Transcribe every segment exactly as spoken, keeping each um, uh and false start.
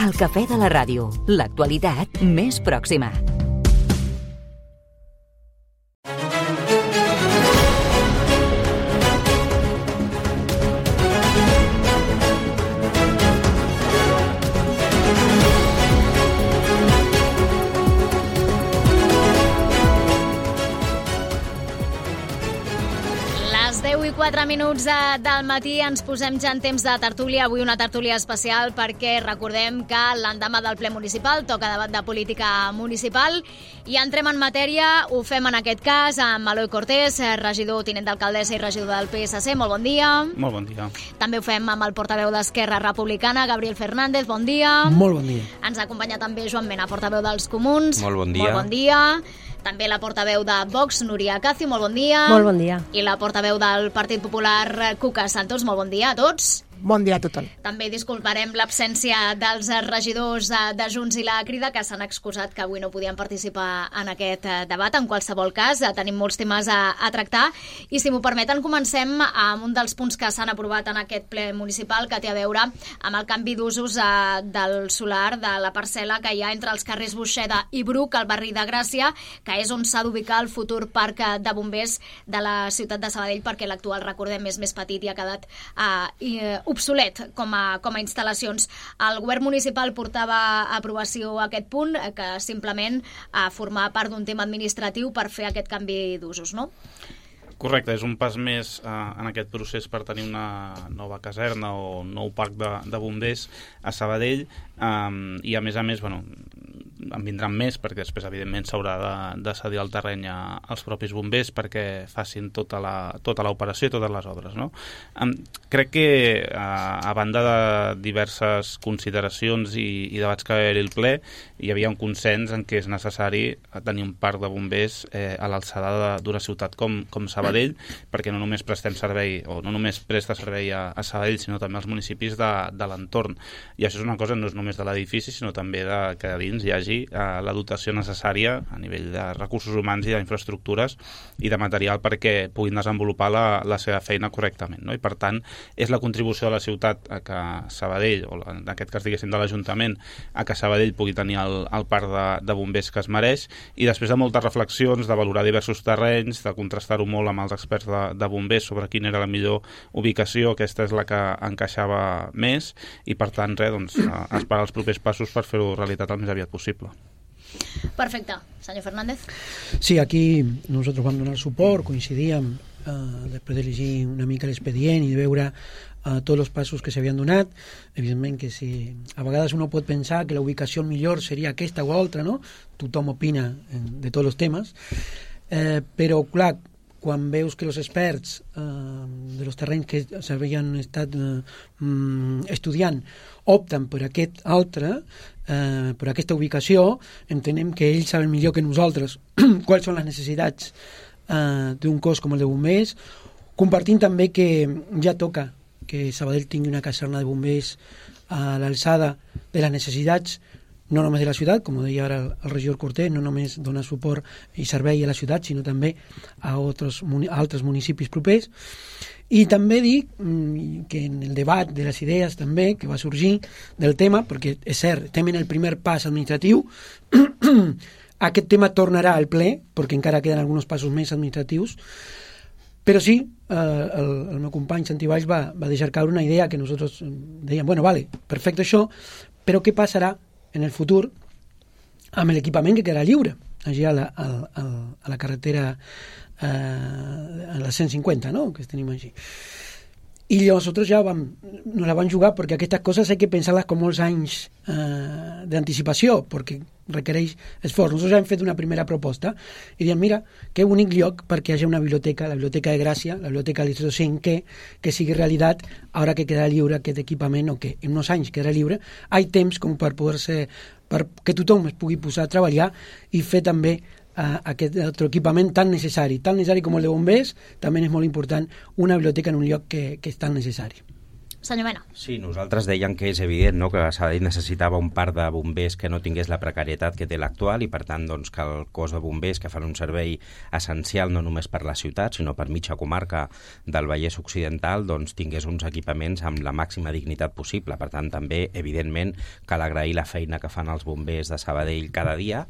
El cafè de la ràdio, l'actualitat més pròxima. quatre minuts del matí ens posem ja en temps de tertúlia. Avui una tertúlia especial perquè recordem que l'endemà del ple municipal toca debat de política municipal i entrem en matèria. Ho fem en aquest cas amb Eloi Cortés, regidor, tinent d'alcaldessa i regidor del P S C. Molt bon dia. Molt bon dia. També ho fem amb el portaveu d'Esquerra Republicana, Gabriel Fernández. Bon dia. Molt bon dia. Ens acompanya també Joan Mena, portaveu dels Comuns. Molt bon dia. Molt bon dia. També la portaveu de Vox, Núria Acacio, molt bon dia. Molt bon dia. I la portaveu del Partit Popular, Cuca Santos, molt bon dia a tots. Bon dia a tothom. També disculparem l'absència dels regidors de Junts i la Crida, que s'han excusat que avui no podien participar en aquest debat. En qualsevol cas, tenim molts temes a, a tractar i, si m'ho permeten, comencem amb un dels punts que s'han aprovat en aquest ple municipal, que té a veure amb el canvi d'usos eh, del solar de la parcel·la que hi ha entre els carrers Buixeda i Bruc, al barri de Gràcia, que és on s'ha d'ubicar el futur parc de bombers de la ciutat de Sabadell, perquè l'actual, recordem, és més petit i ha quedat eh, obsolet com a, com a instal·lacions. El govern municipal portava a aprovació aquest punt, que simplement a formar part d'un tema administratiu per fer aquest canvi d'usos, no? Correcte, és un pas més eh, en aquest procés per tenir una nova caserna o un nou parc de, de bombers a Sabadell, eh, i a més a més, bueno, en vindran més, perquè després evidentment s'haurà de, de cedir el terreny a, als propis bombers perquè facin tota la, tota l'operació i totes les obres, no? Um, crec que uh, a banda de diverses consideracions i, i debats que va haver-hi el ple, hi havia un consens en què és necessari tenir un parc de bombers eh, a l'alçada d'una ciutat com, com Sabadell, perquè no només prestem servei, o no només presta servei a, a Sabadell, sinó també als municipis de, de l'entorn. I això és una cosa no és només de l'edifici, sinó també de que a dins hi hagi la dotació necessària a nivell de recursos humans i d'infraestructures i de material perquè puguin desenvolupar la, la seva feina correctament, no? I per tant és la contribució de la ciutat a que Sabadell, o en aquest cas diguéssim de l'Ajuntament, a que Sabadell pugui tenir el, el parc de, de bombers que es mereix, i després de moltes reflexions, de valorar diversos terrenys, de contrastar-ho molt amb els experts de, de bombers sobre quina era la millor ubicació, aquesta és la que encaixava més, i per tant res, doncs, esperar els propers passos per fer-ho realitat el més aviat possible. Perfecte. Senyor Fernández. Sí, aquí nosotros vam donar suport, coincidíem eh, després de llegir una mica l'expedient i de veure eh, tots els passos que s'havien donat. Evidentment que si a vegades uno pot pensar que la ubicació millor seria aquesta o altra, no? Tothom opina de tots els temes, eh, però clar, quan veus que els experts eh, de los terrenys que s'havien estat eh, estudiant opten per aquest altre, eh, per aquesta ubicació, entenem que ells saben millor que nosaltres quals són les necessitats eh, d'un cos com el de bombers, compartint també que ja toca que Sabadell tingui una caserna de bombers a l'alçada de les necessitats no només de la ciutat, com deia ara el regidor Cortés, no només dona suport i servei a la ciutat, sinó també a, altres, a altres municipis propers. I també dic que en el debat de les idees també que va sorgir del tema, perquè és cert, estem en el primer pas administratiu, aquest tema tornarà al ple, perquè encara queden alguns passos més administratius, però sí, eh, el, el meu company Santi Valls va, va deixar caure una idea que nosaltres dèiem, bueno, vale, perfecte això, però què passarà en el futur amb l'equipament que quedarà lliure allà a la, a, a, a la carretera eh, a la cent cinquanta, no? Que tenim així. I nosaltres ja vam, no la vam jugar perquè aquestes coses hay que pensar-les com molts anys eh, d'anticipació, perquè requereix esforç. Nosaltres ja hem fet una primera proposta i diem, mira, que bonic lloc perquè hi hagi una biblioteca, la Biblioteca de Gràcia, la Biblioteca de l'Institut cinc, que, que sigui realitat ara que quedarà lliure aquest equipament, o que en uns anys quedarà lliure. Hi ha temps com per poder-se, per que tothom es pugui posar a treballar i fer també Uh, aquest altre equipament tan necessari, tan necessari com el de bombers, també és molt important una biblioteca en un lloc que, que és tan necessari. Senyor Mena. Sí, nosaltres dèiem que és evident, no?, que Sabadell necessitava un parc de bombers que no tingués la precarietat que té l'actual i, per tant, doncs, que el cos de bombers, que fan un servei essencial no només per la ciutat, sinó per mitja comarca del Vallès Occidental, doncs, tingués uns equipaments amb la màxima dignitat possible. Per tant, també, evidentment, cal agrair la feina que fan els bombers de Sabadell cada dia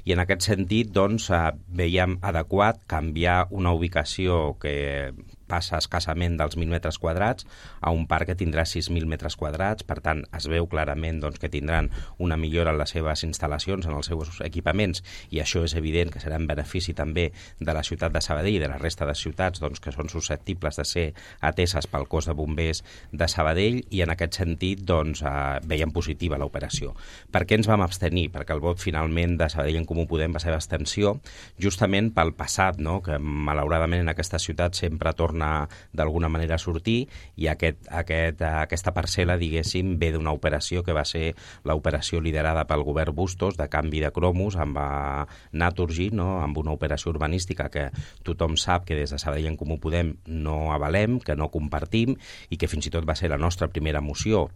i, en aquest sentit, doncs, veiem adequat canviar una ubicació que passa escassament dels mil metres quadrats a un parc que tindrà sis mil metres quadrats. Per tant, es veu clarament doncs, que tindran una millora en les seves instal·lacions, en els seus equipaments, i això és evident que serà en benefici també de la ciutat de Sabadell i de la resta de ciutats doncs, que són susceptibles de ser ateses pel cos de bombers de Sabadell, i en aquest sentit doncs, eh, veiem positiva l'operació. Per què ens vam abstenir? Perquè el vot finalment de Sabadell en Comú Podem va ser d'abstenció, justament pel passat, no?, que malauradament en aquesta ciutat sempre torna d'alguna manera a sortir, i aquest, aquest, aquesta parcel·la, diguéssim, ve d'una operació que va ser l'operació liderada pel govern Bustos de canvi de cromos amb Naturgy, no?, amb una operació urbanística que tothom sap que des de Sabadell en Comú Podem no avalem, que no compartim, i que fins i tot va ser la nostra primera moció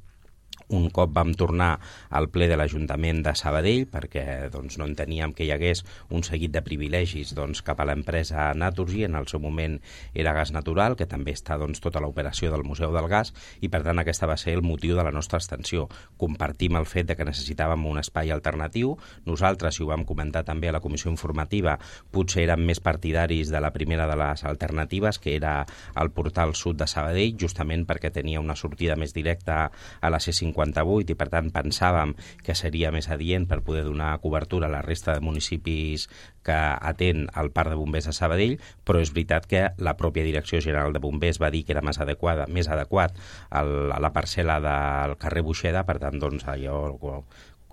un cop vam tornar al ple de l'Ajuntament de Sabadell, perquè doncs, no enteníem que hi hagués un seguit de privilegis doncs, cap a l'empresa Naturgy, en el seu moment era Gas Natural, que també està doncs, tota l'operació del Museu del Gas, i per tant aquesta va ser el motiu de la nostra abstenció. Compartim el fet de que necessitàvem un espai alternatiu. Nosaltres, i ho vam comentar també a la comissió informativa, potser érem més partidaris de la primera de les alternatives, que era el portal sud de Sabadell, justament perquè tenia una sortida més directa a la C cinquanta-vuit i per tant pensàvem que seria més adient per poder donar cobertura a la resta de municipis que atén el Parc de Bombers de Sabadell, però és veritat que la pròpia Direcció General de Bombers va dir que era més adequada, més adequat el, a la parcel·la del carrer Buixeda, per tant, doncs, allò...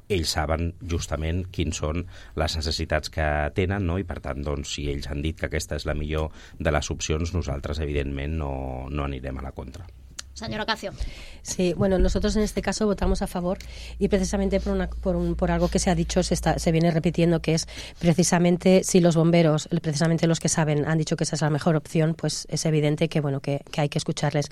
ells saben justament quins són les necessitats que tenen, no? I per tant, doncs, si ells han dit que aquesta és la millor de les opcions, nosaltres, evidentment, no, no anirem a la contra. Señora Cacio. Sí, bueno, nosotros en este caso votamos a favor y precisamente por, una, por, un, por algo que se ha dicho, se, está, se viene repitiendo, que es precisamente si los bomberos, precisamente los que saben, han dicho que esa es la mejor opción, pues es evidente que bueno que, que hay que escucharles.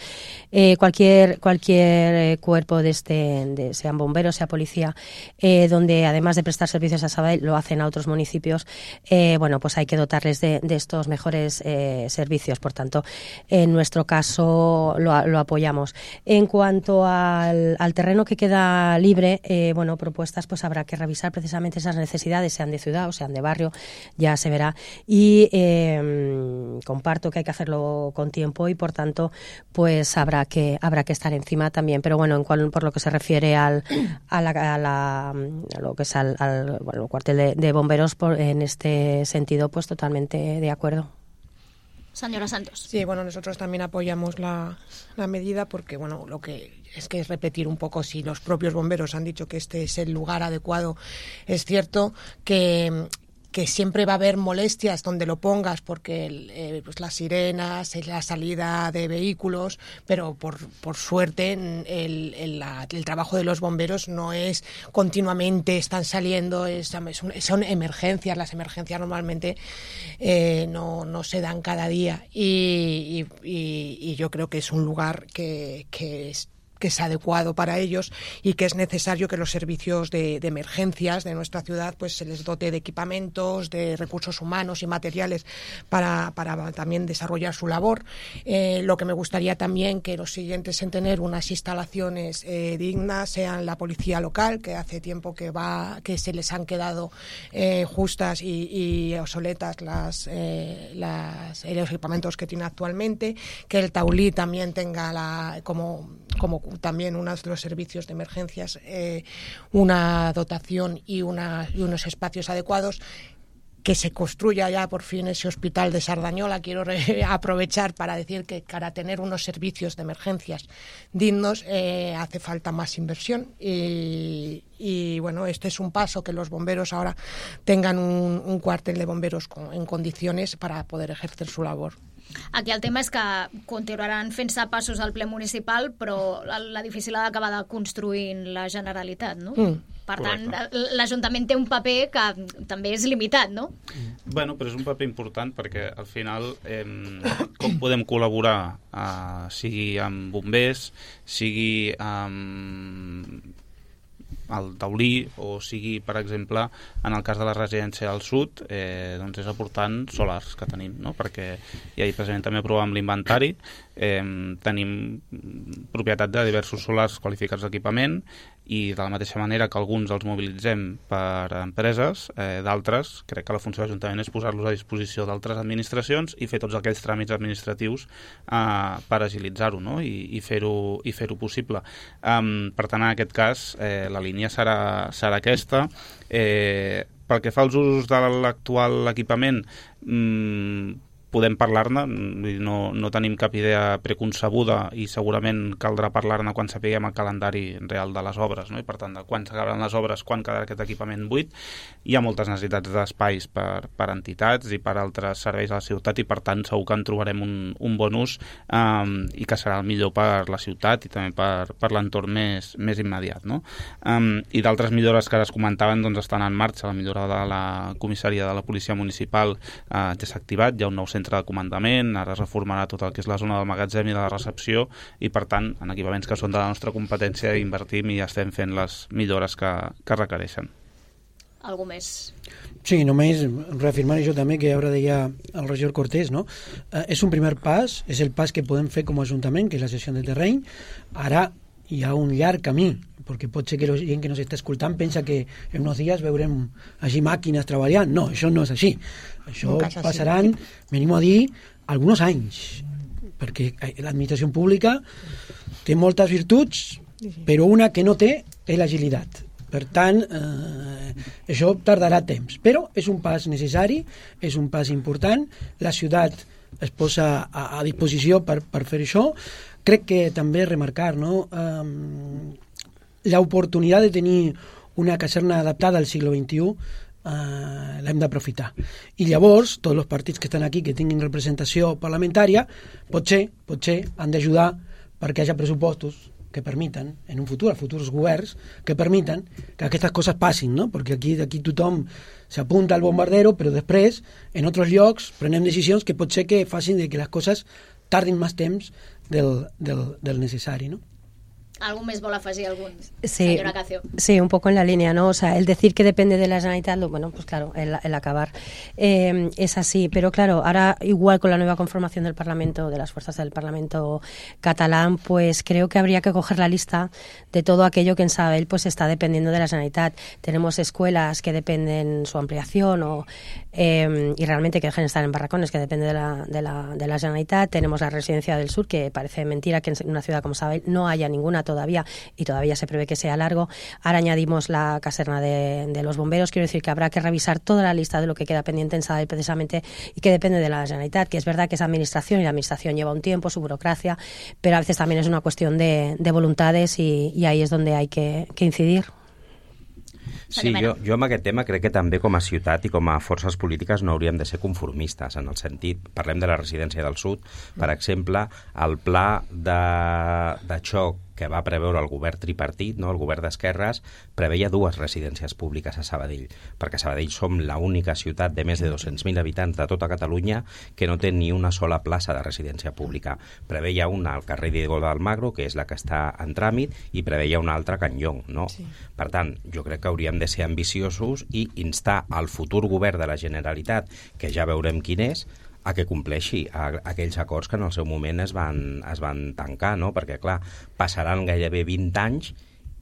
Eh, cualquier cualquier cuerpo de este, de, sean bomberos, sea policía, eh, donde además de prestar servicios a Sabadell lo hacen a otros municipios, eh, bueno, pues hay que dotarles de, de estos mejores eh, servicios. Por tanto, en nuestro caso lo, lo apoyamos. En cuanto al, al terreno que queda libre, eh, bueno, propuestas, pues habrá que revisar precisamente esas necesidades, sean de ciudad o sean de barrio, ya se verá. Y eh, comparto que hay que hacerlo con tiempo y, por tanto, pues habrá que habrá que estar encima también. Pero bueno, en cual, por lo que se refiere al a, la, a, la, a lo que es al, al bueno, cuartel de, de bomberos, por, en este sentido, pues totalmente de acuerdo. Señora Santos. Sí, bueno, nosotros también apoyamos la, la medida porque, bueno, lo que es que es repetir un poco, si los propios bomberos han dicho que este es el lugar adecuado, es cierto que... que siempre va a haber molestias donde lo pongas, porque eh, pues las sirenas, la salida de vehículos, pero por, por suerte el, el, la, el trabajo de los bomberos no es continuamente están saliendo, es, es un, son emergencias, las emergencias normalmente eh, no, no se dan cada día y, y, y, y yo creo que es un lugar que, que es que es adecuado para ellos y que es necesario que los servicios de, de emergencias de nuestra ciudad pues se les dote de equipamientos, de recursos humanos y materiales para, para también desarrollar su labor. Eh, lo que me gustaría también que los siguientes en tener unas instalaciones eh, dignas sean la policía local, que hace tiempo que va que se les han quedado eh, justas y, y obsoletas las, eh, las, los equipamientos que tiene actualmente, que el Taulí también tenga la, como, como también uno de los servicios de emergencias, eh, una dotación y, una, y unos espacios adecuados, que se construya ya por fin ese hospital de Sardañola. Quiero re- aprovechar para decir que para tener unos servicios de emergencias dignos eh, hace falta más inversión y, y bueno, este es un paso, que los bomberos ahora tengan un, un cuartel de bomberos con, en condiciones para poder ejercer su labor. Aquí el tema és que continuaran fent-se passos al ple municipal, però l'edifici l'ha d'acabar de construir la Generalitat, no? Mm. Per tant, Correcte. l'Ajuntament té un paper que també és limitat, no? Bueno, però és un paper important perquè al final eh, com podem col·laborar eh, sigui amb bombers, sigui amb el taulí o sigui, per exemple, en el cas de la residència del sud, eh, doncs és aportant solars que tenim, no? Perquè ja ahir precisament també aprovàvem l'inventari, eh, tenim propietat de diversos solars qualificats d'equipament i de la mateixa manera que alguns els mobilitzem per empreses, eh, d'altres, crec que la funció de l'Ajuntament és posar-los a disposició d'altres administracions i fer tots aquells tràmits administratius eh, per agilitzar-ho, no? I, i fer-ho i fer-ho possible. Um, per tant, en aquest cas, eh, la línia serà, serà aquesta. Eh, pel que fa als usos de l'actual equipament, mmm, podem parlar-ne, no, no tenim cap idea preconcebuda i segurament caldrà parlar-ne quan sapiguem el calendari real de les obres, no? I per tant, de quan s'acabaran les obres, quan quedarà aquest equipament buit. Hi ha moltes necessitats d'espais per, per entitats i per altres serveis a la ciutat i per tant segur que en trobarem un, un bon ús um, i que serà el millor per la ciutat i també per, per l'entorn més, més immediat, no? Um, I d'altres millores que es comentaven doncs, estan en marxa. La millora de la comissaria de la policia municipal uh, ja s'ha activat, hi ha un nou centre de comandament, ara es reformarà tot el que és la zona del magatzem i de la recepció i per tant en equipaments que són de la nostra competència invertim i estem fent les millores que, que requereixen. Algú més? Sí, només reafirmar això també que ara deia el regidor Cortés, no? Eh, és un primer pas, és el pas que podem fer com a Ajuntament, que és la cessió de terreny. Ara hi ha un llarg camí, perquè pot ser que la gent que ens està escoltant pensa que en uns dies veurem així màquines treballant. No, això no és així. Això no passaran, venim a dir, alguns anys, perquè l'administració pública té moltes virtuts, però una que no té és l'agilitat. Per tant, eh, això tardarà temps, però és un pas necessari, és un pas important, la ciutat es posa a, a disposició per, per fer això. Crec que també remarcar, no? Um, l'oportunitat de tenir una caserna adaptada al segle vint-i-u uh, l'hem d'aprofitar. I llavors, tots els partits que estan aquí, que tinguin representació parlamentària, potser, potser han d'ajudar perquè hi hagi pressupostos que permiten, en un futur, futurs governs, que permiten que aquestes coses passin, no? Perquè aquí, aquí tothom s'apunta al bombardero, però després, en altres llocs, prenem decisions que pot ser que facin de que les coses tardin més temps del, del, del necessari, no? ¿Algún mes vol afegir algún? Sí, señora Cacio. Sí, un poco en la línea, ¿no? O sea, el decir que depende de la Generalitat, bueno, pues claro, el, el acabar eh, es así. Pero claro, ahora igual con la nueva conformación del Parlamento, de las fuerzas del Parlamento catalán, pues creo que habría que coger la lista de todo aquello que en Sabadell pues está dependiendo de la Generalitat. Tenemos escuelas que dependen su ampliación o eh, y realmente que dejen de estar en barracones, que depende de la, de la, de la Generalitat. Tenemos la Residencia del Sur, que parece mentira que en una ciudad como Sabadell no haya ninguna todavía y todavía se prevé que sea largo. Ahora añadimos la caserna de, de los bomberos. Quiero decir que habrá que revisar toda la lista de lo que queda pendiente en Sabadell precisamente y que depende de la Generalitat, que es verdad que es administración y la administración lleva un tiempo, su burocracia, pero a veces también es una cuestión de, de voluntades y, y ahí es donde hay que, que incidir. Sí, jo, jo amb aquest tema crec que també com a ciutat i com a forces polítiques no hauríem de ser conformistes, en el sentit, parlem de la residència del sud, per exemple, el pla de, de xoc que va preveure el govern tripartit, no? El govern d'esquerres, preveia dues residències públiques a Sabadell, perquè a Sabadell som l'única ciutat de més de dos-cents mil habitants de tota Catalunya que no té ni una sola plaça de residència pública. Preveia una al carrer Diego de Almagro, que és la que està en tràmit, i preveia una altra a Can Llong, no? Sí. Per tant, jo crec que hauríem de ser ambiciosos i instar al futur govern de la Generalitat, que ja veurem quin és, a que compleixi a, a aquells acords que en el seu moment es van, es van tancar, no? Perquè, clar, passaran gairebé vint anys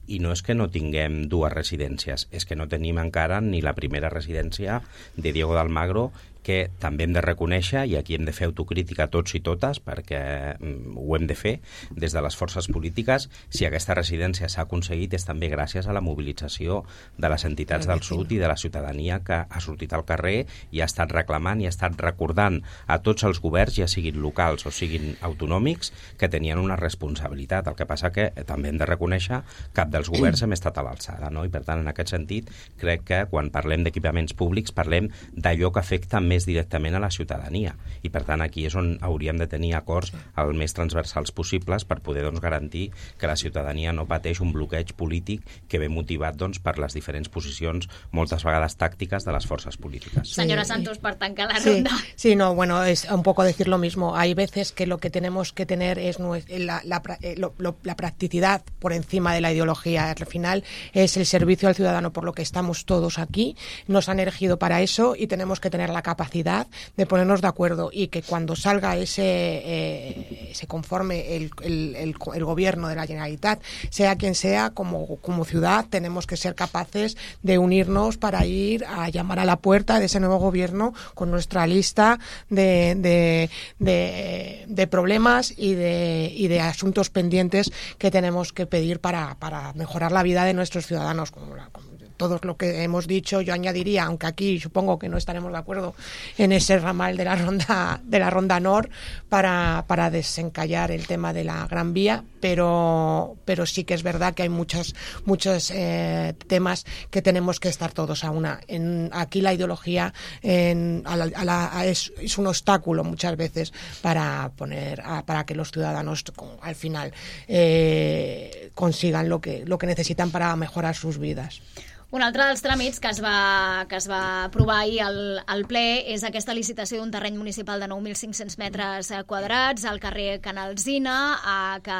i no és que no tinguem dues residències, és que no tenim encara ni la primera residència de Diego de Almagro, que també hem de reconèixer, i aquí hem de fer autocrítica tots i totes, perquè mm, ho hem de fer des de les forces polítiques. Si aquesta residència s'ha aconseguit és també gràcies a la mobilització de les entitats del sud i de la ciutadania que ha sortit al carrer i ha estat reclamant i ha estat recordant a tots els governs, ja siguin locals o siguin autonòmics, que tenien una responsabilitat. El que passa que també hem de reconèixer que cap dels governs hem estat a l'alçada, no? I per tant, en aquest sentit, crec que quan parlem d'equipaments públics parlem d'allò que afecta més directament a la ciutadania. I, per tant, aquí és on hauríem de tenir acords el més transversals possibles per poder doncs, garantir que la ciutadania no pateix un bloqueig polític que ve motivat doncs, per les diferents posicions, moltes vegades tàctiques, de les forces polítiques. Sí. Senyora Santos, per tancar la sí, ronda. Sí, no, bueno, es un poco decir lo mismo. Hay veces que lo que tenemos que tener es la, la, lo, lo, la practicidad por encima de la ideología. Al final es el servicio al ciudadano, por lo que estamos todos aquí. Nos han elegido para eso y tenemos que tener la capacidad de ponernos de acuerdo y que cuando salga ese, eh, se conforme el, el, el, el gobierno de la Generalitat, sea quien sea, como, como ciudad tenemos que ser capaces de unirnos para ir a llamar a la puerta de ese nuevo gobierno con nuestra lista de, de, de, de problemas y de, y de asuntos pendientes que tenemos que pedir para, para mejorar la vida de nuestros ciudadanos, como la, como todo lo que hemos dicho. Yo añadiría, aunque aquí supongo que no estaremos de acuerdo en ese ramal de la ronda de la ronda Nord para, para desencallar el tema de la Gran Vía, pero pero sí que es verdad que hay muchos muchos eh, temas que tenemos que estar todos a una. En, aquí la ideología en, a la, a la, a es, es un obstáculo muchas veces para poner a, para que los ciudadanos al final eh, consigan lo que lo que necesitan para mejorar sus vidas. Un altre dels tràmits que es va, que es va aprovar ahir al, al ple és aquesta licitació d'un terreny municipal de nou mil cinc-cents metres quadrats al carrer Canalzina, eh, que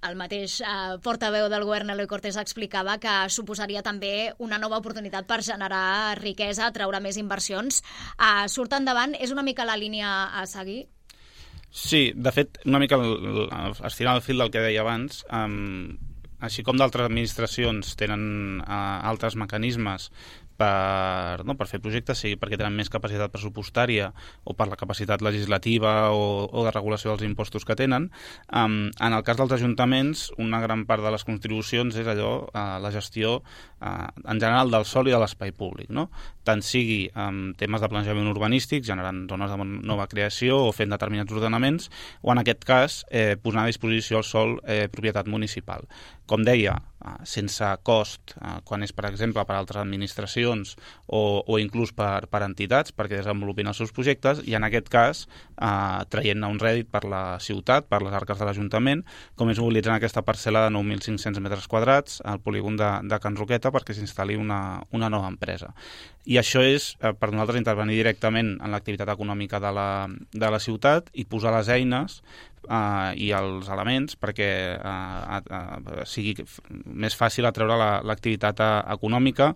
el mateix eh, portaveu del govern, Eloi Cortés, explicava que suposaria també una nova oportunitat per generar riquesa, atraure més inversions. Eh, surt endavant, és una mica la línia a seguir? Sí, de fet, una mica estirant el fil del que deia abans, um, així com d'altres administracions tenen uh, altres mecanismes per, no, per fer projectes, sigui perquè tenen més capacitat pressupostària o per la capacitat legislativa o, o de regulació dels impostos que tenen. Um, en el cas dels ajuntaments, una gran part de les contribucions és allò, uh, la gestió uh, en general del sòl i de l'espai públic, no? Tant sigui um, temes de planejament urbanístic, generant zones de nova creació o fent determinats ordenaments, o en aquest cas eh, posant a disposició el sòl eh, propietat municipal. Com deia, eh, sense cost, eh, quan és, per exemple, per altres administracions o, o inclús per, per entitats, perquè desenvolupin els seus projectes, i en aquest cas eh, traient-ne un rèdit per la ciutat, per les arques de l'Ajuntament, com és mobilitzant aquesta parcel·la de nou mil cinc-cents metres quadrats al polígon de, de Can Roqueta perquè s'instal·li una, una nova empresa. I això és, eh, per nosaltres, intervenir directament en l'activitat econòmica de la, de la ciutat i posar les eines eh, i els elements perquè eh, eh, sigui més fàcil atreure l'activitat la, econòmica,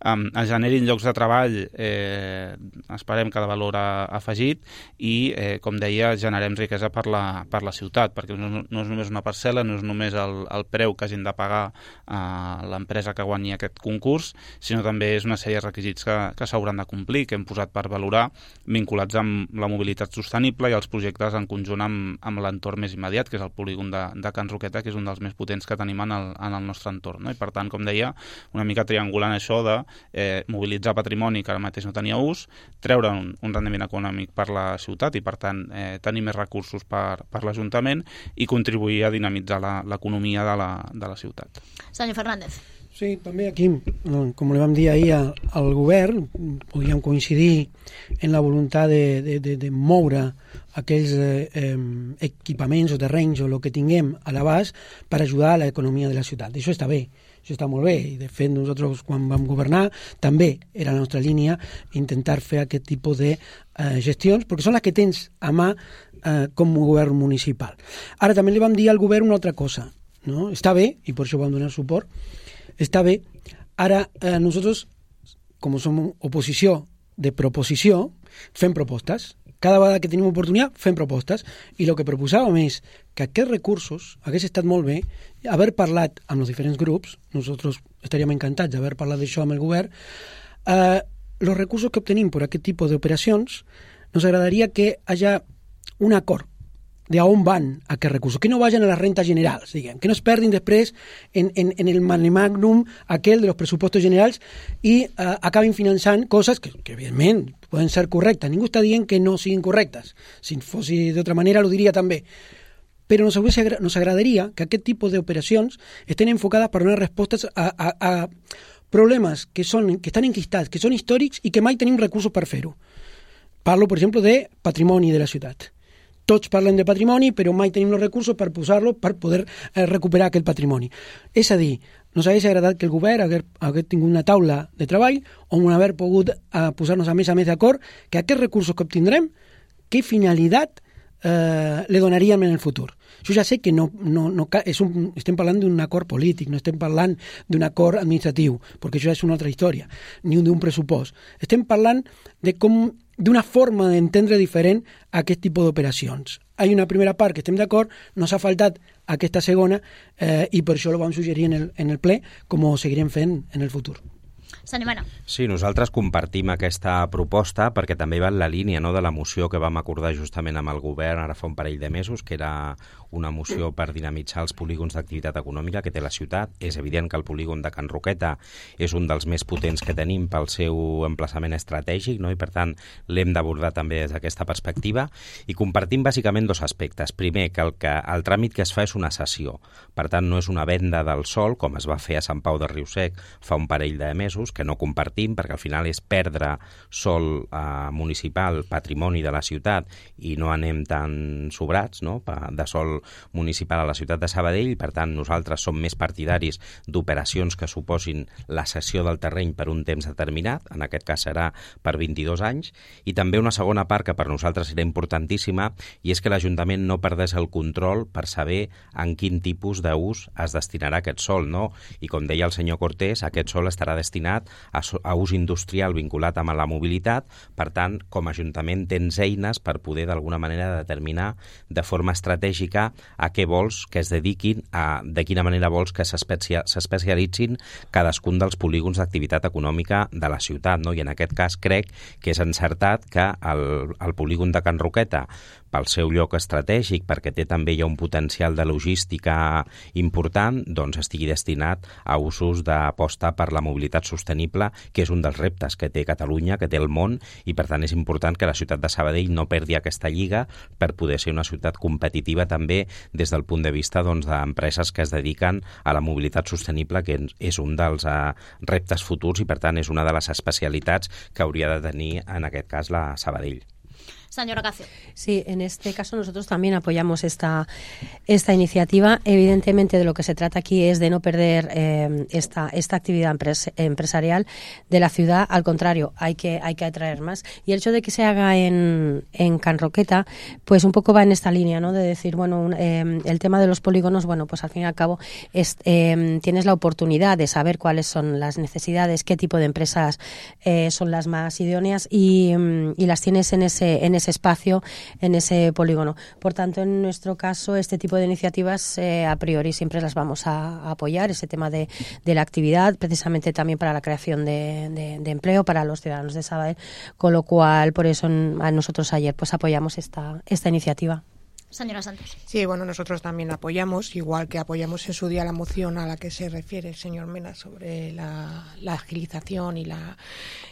eh, es generin llocs de treball, eh, esperem que de valor afegit, i, eh, com deia, generem riquesa per la, per la ciutat, perquè no, no és només una parcel·la, no és només el, el preu que hagin de pagar eh, l'empresa que guanyi aquest concurs, sinó també és una sèrie de requisits que, que s'hauran de complir, que hem posat per valorar, vinculats amb la mobilitat sostenible i els projectes en conjunt amb, amb l'entorn més immediat, que és el polígon de, de Can Roqueta, que és un dels més potents que tenim en el, en el nostre entorn, no? I per tant, com deia, una mica triangulant això de eh, mobilitzar patrimoni que ara mateix no tenia ús, treure un, un rendiment econòmic per la ciutat i per tant eh, tenir més recursos per, per l'Ajuntament i contribuir a dinamitzar l'economia de la, de la ciutat. Senyor Fernández. Sí, també aquí, com li vam dir ahir al govern, podríem coincidir en la voluntat de, de, de, de moure aquells eh, equipaments o terrenys o el que tinguem a l'abast per ajudar a l'economia de la ciutat. Això està bé, això està molt bé, i de fet nosaltres quan vam governar també era la nostra línia intentar fer aquest tipus de eh, gestions, perquè són les que tens a mà eh, com a govern municipal. Ara també li vam dir al govern una altra cosa, no? Està bé, i per això vam donar suport, està bé. Ara, eh, nosaltres, com som oposició de proposició, fem propostes. Cada vegada que tenim oportunitat, fem propostes. I el que proposàvem és que aquests recursos hagués estat molt bé haver parlat amb els diferents grups, nosaltres estaríem encantats d'haver parlat d'això amb el govern, eh, els recursos que obtenim per aquest tipus d'operacions, nos agradaria que hi hagi un acord de a on van aquests recursos, que no vagin a les rentes generals, diguem, que no es perdin després en, en, en el magnum aquell de los pressupostos generals i eh, acabin finançant coses que, que evidentment poden ser correctes. Ningú està dient que no siguin correctes. Si fos d'altra manera ho diria també. Però nos, nos agradaria que aquest tipus d'operacions estén enfocades per donar respostes a, a, a problemes que, són, que estan enquistats, que són històrics i que mai tenim recursos per fer-ho. Parlo, per exemple, de patrimoni de la ciutat. Tots parlen de patrimoni, però mai tenim els recursos per posar-lo per poder eh, recuperar aquest patrimoni. És a dir, nos hauria agradat que el govern hagués, hagués tingut una taula de treball on haver pogut eh, posar-nos a més a més d'acord que aquests recursos que obtindrem, què finalitat eh, li donaríem en el futur. Jo ja sé que no, no, no, és un, estem parlant d'un acord polític, no estem parlant d'un acord administratiu, perquè això és una altra història, ni d'un pressupost. Estem parlant de com d'una forma d'entendre diferent aquest tipus d'operacions. Hi ha una primera part que estem d'acord, no s'ha faltat aquesta segona eh, i per això ho vam suggerir en el, en el ple, com ho seguirem fent en el futur. Senyor Mena. Sí, nosaltres compartim aquesta proposta perquè també va en la línia, no, de la moció que vam acordar justament amb el govern ara fa un parell de mesos, que era una moció per dinamitzar els polígons d'activitat econòmica que té la ciutat. És evident que el polígon de Can Roqueta és un dels més potents que tenim pel seu emplaçament estratègic, no? I per tant l'hem d'abordar també des d'aquesta perspectiva, i compartim bàsicament dos aspectes. Primer, que el, que el tràmit que es fa és una cessió, per tant no és una venda del sòl com es va fer a Sant Pau de Riusec fa un parell de mesos, que no compartim, perquè al final és perdre sòl eh, municipal, patrimoni de la ciutat, i no anem tan sobrats, no?, de sòl municipal a la ciutat de Sabadell. Per tant, nosaltres som més partidaris d'operacions que suposin la cessió del terreny per un temps determinat, en aquest cas serà per vint-i-dos anys, i també una segona part que per nosaltres serà importantíssima, i és que l'Ajuntament no perdés el control per saber en quin tipus d'ús es destinarà aquest sòl, no? I com deia el senyor Cortés, aquest sòl estarà destinat a, a ús industrial vinculat amb la mobilitat. Per tant, com a Ajuntament tens eines per poder d'alguna manera determinar de forma estratègica a què vols que es dediquin, a, de quina manera vols que s'especialitzin cadascun dels polígons d'activitat econòmica de la ciutat, no? I en aquest cas crec que és encertat que el, el polígon de Can Roqueta, pel seu lloc estratègic, perquè té també ja un potencial de logística important, doncs estigui destinat a usos d'aposta per la mobilitat sostenible, que és un dels reptes que té Catalunya, que té el món, i per tant és important que la ciutat de Sabadell no perdi aquesta lliga per poder ser una ciutat competitiva també des del punt de vista doncs, d'empreses que es dediquen a la mobilitat sostenible, que és un dels uh, reptes futurs, i per tant és una de les especialitats que hauria de tenir en aquest cas la Sabadell. Señora Cacio. Sí, en este caso nosotros también apoyamos esta, esta iniciativa. Evidentemente de lo que se trata aquí es de no perder eh, esta, esta actividad empres, empresarial de la ciudad. Al contrario, hay que, hay que atraer más. Y el hecho de que se haga en, en Can Roqueta, pues un poco va en esta línea, ¿no? De decir, bueno, un, eh, el tema de los polígonos, bueno, pues al fin y al cabo es, eh, tienes la oportunidad de saber cuáles son las necesidades, qué tipo de empresas eh, son las más idóneas, y, y las tienes en ese, en ese espacio, en ese polígono. Por tanto, en nuestro caso, este tipo de iniciativas eh, a priori siempre las vamos a, a apoyar, ese tema de, de la actividad, precisamente también para la creación de, de, de empleo para los ciudadanos de Sabadell, con lo cual, por eso a nosotros ayer pues apoyamos esta, esta iniciativa. Señora Santos. Sí, bueno, nosotros también apoyamos, igual que apoyamos en su día la moción a la que se refiere el señor Mena sobre la, la agilización y la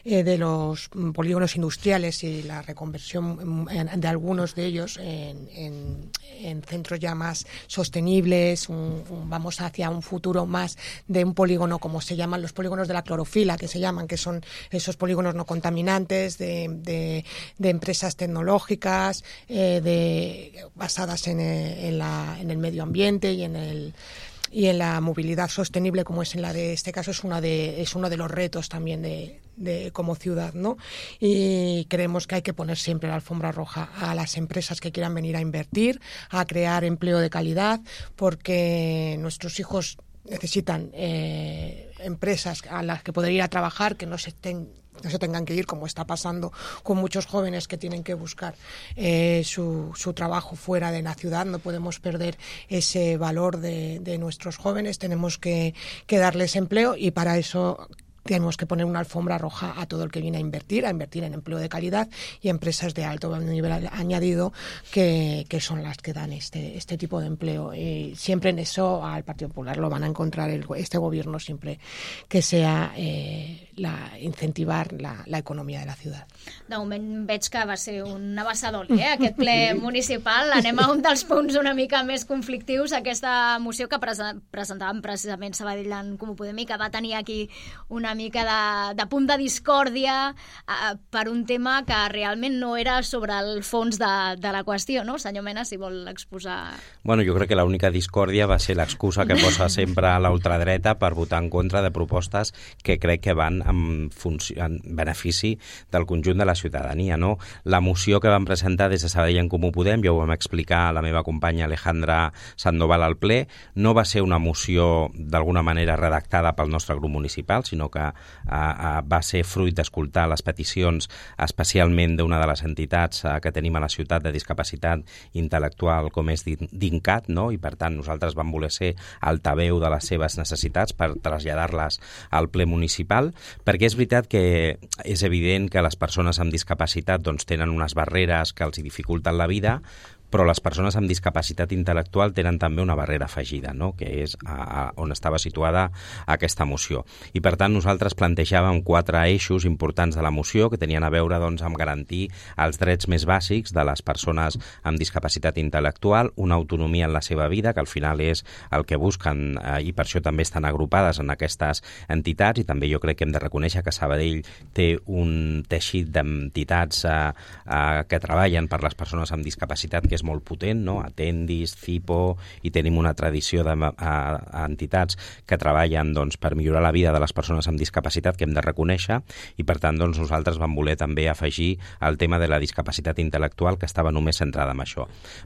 eh, de los polígonos industriales y la reconversión en, de algunos de ellos en, en, en centros ya más sostenibles. Un, un, vamos hacia un futuro más de un polígono, como se llaman los polígonos de la clorofila, que se llaman, que son esos polígonos no contaminantes de, de, de empresas tecnológicas, eh, de basadas en el, en, la, en el medio ambiente y en el y en la movilidad sostenible, como es en la de este caso, es una de es uno de los retos también de, de como ciudad, ¿no? Y creemos que hay que poner siempre la alfombra roja a las empresas que quieran venir a invertir, a crear empleo de calidad, porque nuestros hijos necesitan eh, empresas a las que poder ir a trabajar, que no se estén no se tengan que ir, como está pasando con muchos jóvenes que tienen que buscar eh, su, su trabajo fuera de la ciudad. No podemos perder ese valor de, de nuestros jóvenes, tenemos que, que darles empleo, y para eso tenemos que poner una alfombra roja a todo el que viene a invertir, a invertir en empleo de calidad y empresas de alto nivel añadido, que, que son las que dan este, este tipo de empleo. Y siempre en eso al Partido Popular lo van a encontrar el, este gobierno, siempre que sea eh, la, incentivar la, la economia de la ciutat. De moment veig que va ser un abassador, eh, aquest ple municipal. Anem a un dels punts una mica més conflictius, aquesta moció que presentàvem precisament Sabadell en Comú Podem, que va tenir aquí una una mica de, de punt de discòrdia eh, per un tema que realment no era sobre el fons de, de la qüestió, no? Senyor Mena, si vol exposar... Bueno, jo crec que l'única discòrdia va ser l'excusa que posa sempre a la ultradreta per votar en contra de propostes que crec que van en, funció, en benefici del conjunt de la ciutadania, no? La moció que vam presentar des de Sabadell en Comú Podem, ja ho vam explicar a la meva companya Alejandra Sandoval al ple, no va ser una moció d'alguna manera redactada pel nostre grup municipal, sinó que eh, eh, va ser fruit d'escoltar les peticions especialment d'una de les entitats eh, que tenim a la ciutat de discapacitat intel·lectual com és DINCAT, no? I per tant nosaltres vam voler ser altaveu de les seves necessitats per traslladar-les al ple municipal, perquè és veritat que és evident que les persones amb discapacitat doncs, tenen unes barreres que els dificulten la vida, però les persones amb discapacitat intel·lectual tenen també una barrera afegida, no? Que és a, a, on estava situada aquesta moció. I per tant nosaltres plantejàvem quatre eixos importants de la moció que tenien a veure doncs, amb garantir els drets més bàsics de les persones amb discapacitat intel·lectual, una autonomia en la seva vida, que al final és el que busquen eh, i per això també estan agrupades en aquestes entitats, i també jo crec que hem de reconèixer que Sabadell té un teixit d'entitats eh, eh, que treballen per les persones amb discapacitat que és molt potent, no? Atendis, Cipo, i tenim una tradició d'entitats que treballen doncs, per millorar la vida de les persones amb discapacitat que hem de reconèixer, i per tant doncs, nosaltres vam voler també afegir el tema de la discapacitat intel·lectual, que estava només centrada en això.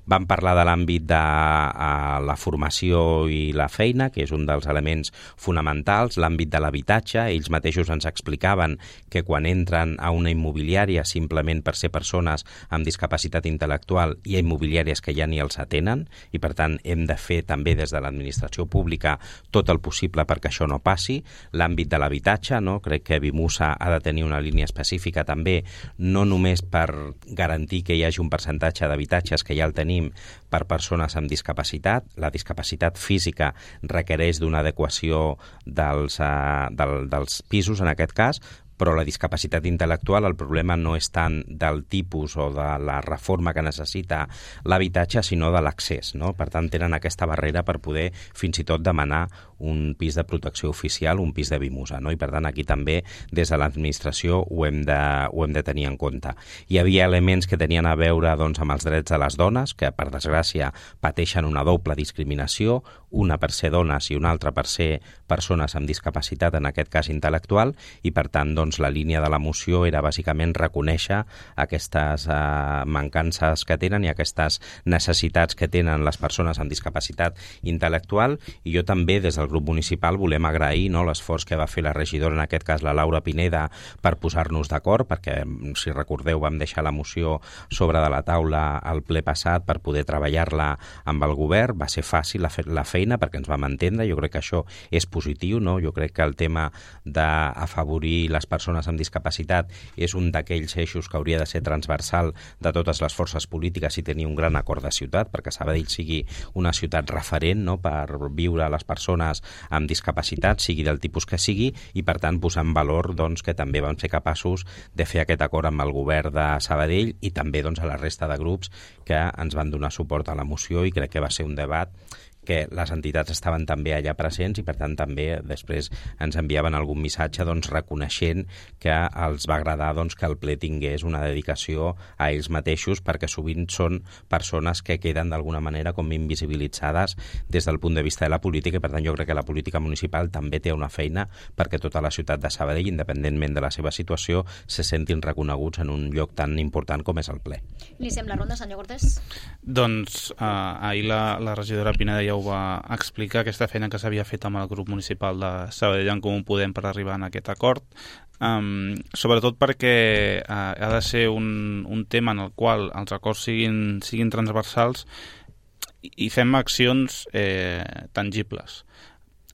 Vam parlar de l'àmbit de uh, la formació i la feina, que és un dels elements fonamentals, l'àmbit de l'habitatge. Ells mateixos ens explicaven que quan entren a una immobiliària simplement per ser persones amb discapacitat intel·lectual hi ha immobiliàries que ja ni els atenen, i per tant hem de fer també des de l'administració pública tot el possible perquè això no passi. L'àmbit de l'habitatge, no? Crec que Vimusa ha de tenir una línia específica també, no només per garantir que hi hagi un percentatge d'habitatges, que ja el tenim, per persones amb discapacitat. La discapacitat física requereix d'una adequació dels, uh, del, dels pisos en aquest cas, però la discapacitat intel·lectual, el problema no és tant del tipus o de la reforma que necessita l'habitatge, sinó de l'accés, no? Per tant, tenen aquesta barrera per poder fins i tot demanar un pis de protecció oficial, un pis de Vimusa, no? I per tant, aquí també, des de l'administració, ho hem de, ho hem de tenir en compte. Hi havia elements que tenien a veure doncs, amb els drets de les dones, que, per desgràcia, pateixen una doble discriminació, una per ser dones i una altra per ser persones amb discapacitat, en aquest cas intel·lectual, i per tant, doncs, la línia de la moció era bàsicament reconèixer aquestes eh, mancances que tenen i aquestes necessitats que tenen les persones amb discapacitat intel·lectual, i jo també des del grup municipal volem agrair, no, l'esforç que va fer la regidora, en aquest cas la Laura Pineda, per posar-nos d'acord, perquè si recordeu vam deixar la moció sobre de la taula al ple passat per poder treballar-la amb el govern. Va ser fàcil la, fe la feina perquè ens vam entendre, jo crec que això és positiu, no? Jo crec que el tema d'afavorir les persones persones amb discapacitat és un d'aquells eixos que hauria de ser transversal de totes les forces polítiques i tenir un gran acord de ciutat, perquè Sabadell sigui una ciutat referent, no?, per viure a les persones amb discapacitat, sigui del tipus que sigui, i per tant posar en valor doncs, que també vam ser capaços de fer aquest acord amb el govern de Sabadell i també doncs, a la resta de grups que ens van donar suport a la moció, i crec que va ser un debat que les entitats estaven també allà presents i per tant també després ens enviaven algun missatge doncs, reconeixent que els va agradar doncs, que el ple tingués una dedicació a ells mateixos, perquè sovint són persones que queden d'alguna manera com invisibilitzades des del punt de vista de la política, i per tant jo crec que la política municipal també té una feina perquè tota la ciutat de Sabadell, independentment de la seva situació, se sentin reconeguts en un lloc tan important com és el ple. Iniciem la ronda, senyor Cortés. Doncs eh, ahir la, la regidora Pineda ja ho va explicar, aquesta feina que s'havia fet amb el grup municipal de Sabadell en Comú Podem per arribar a aquest acord, um, sobretot perquè uh, ha de ser un, un tema en el qual els acords siguin, siguin transversals i, i fem accions eh, tangibles.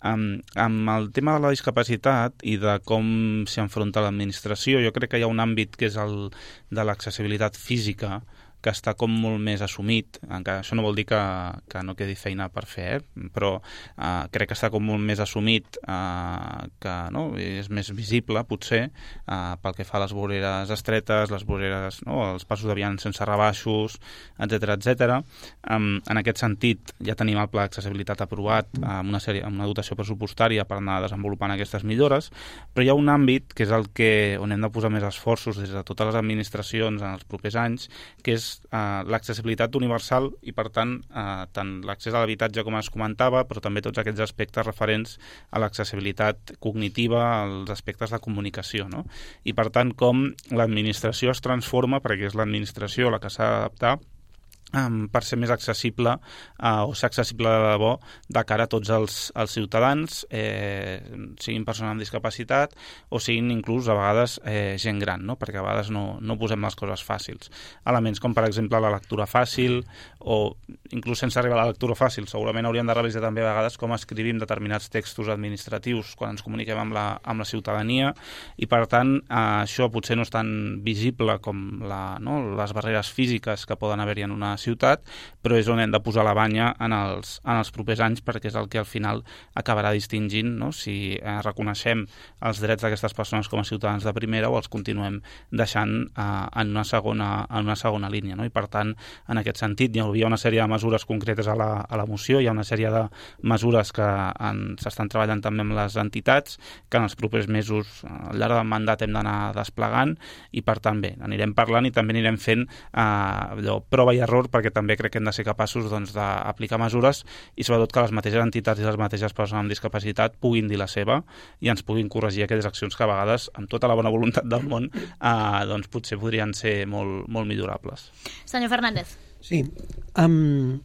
Um, amb el tema de la discapacitat i de com s'hi enfronta l'administració, jo crec que hi ha un àmbit que és el de l'accessibilitat física, que està com molt més assumit, encara això no vol dir que, que no quedi feina per fer, eh? Però eh, crec que està com molt més assumit, eh, que no? És més visible, potser, eh, pel que fa a les voreres estretes, les voreres, no? Els passos de vianants sense rebaixos, etcètera, etcètera. Um, en aquest sentit, ja tenim el pla d'accessibilitat aprovat amb una, sèrie, amb una dotació pressupostària per anar desenvolupant aquestes millores, però hi ha un àmbit que és el que, on hem de posar més esforços des de totes les administracions en els propers anys, que és eh, l'accessibilitat universal i, per tant, eh, tant l'accés a l'habitatge, com es comentava, però també tots aquests aspectes referents a l'accessibilitat cognitiva, als aspectes de comunicació, no? I, per tant, com l'administració es transforma, perquè és l'administració la que s'ha d'adaptar, Um, per ser més accessible uh, o ser accessible de debò de cara a tots els, els ciutadans, eh, siguin persones amb discapacitat o siguin inclús a vegades eh, gent gran, no? Perquè a vegades no, no posem les coses fàcils. Elements com, per exemple, la lectura fàcil o inclús sense arribar a la lectura fàcil. Segurament hauríem de revisar també a vegades com escrivim determinats textos administratius quan ens comuniquem amb la, amb la ciutadania i, per tant, eh, això potser no és tan visible com la, no? les barreres físiques que poden haver-hi en una ciutat, però és on hem de posar la banya en els, en els propers anys, perquè és el que al final acabarà distingint, no? Si eh, reconeixem els drets d'aquestes persones com a ciutadans de primera o els continuem deixant eh, en, una segona, en una segona línia, no? I per tant, en aquest sentit, hi havia una sèrie de mesures concretes a la, a la moció, hi ha una sèrie de mesures que s'estan treballant també amb les entitats, que en els propers mesos, al llarg del mandat, hem d'anar desplegant, i per tant, bé, anirem parlant i també anirem fent eh, allò, prova i error, perquè també crec que hem de ser capaços doncs, d'aplicar mesures i sobretot que les mateixes entitats i les mateixes persones amb discapacitat puguin dir la seva i ens puguin corregir aquelles accions que a vegades, amb tota la bona voluntat del món, eh, doncs potser podrien ser molt, molt millorables. Senyor Fernández. Sí, um,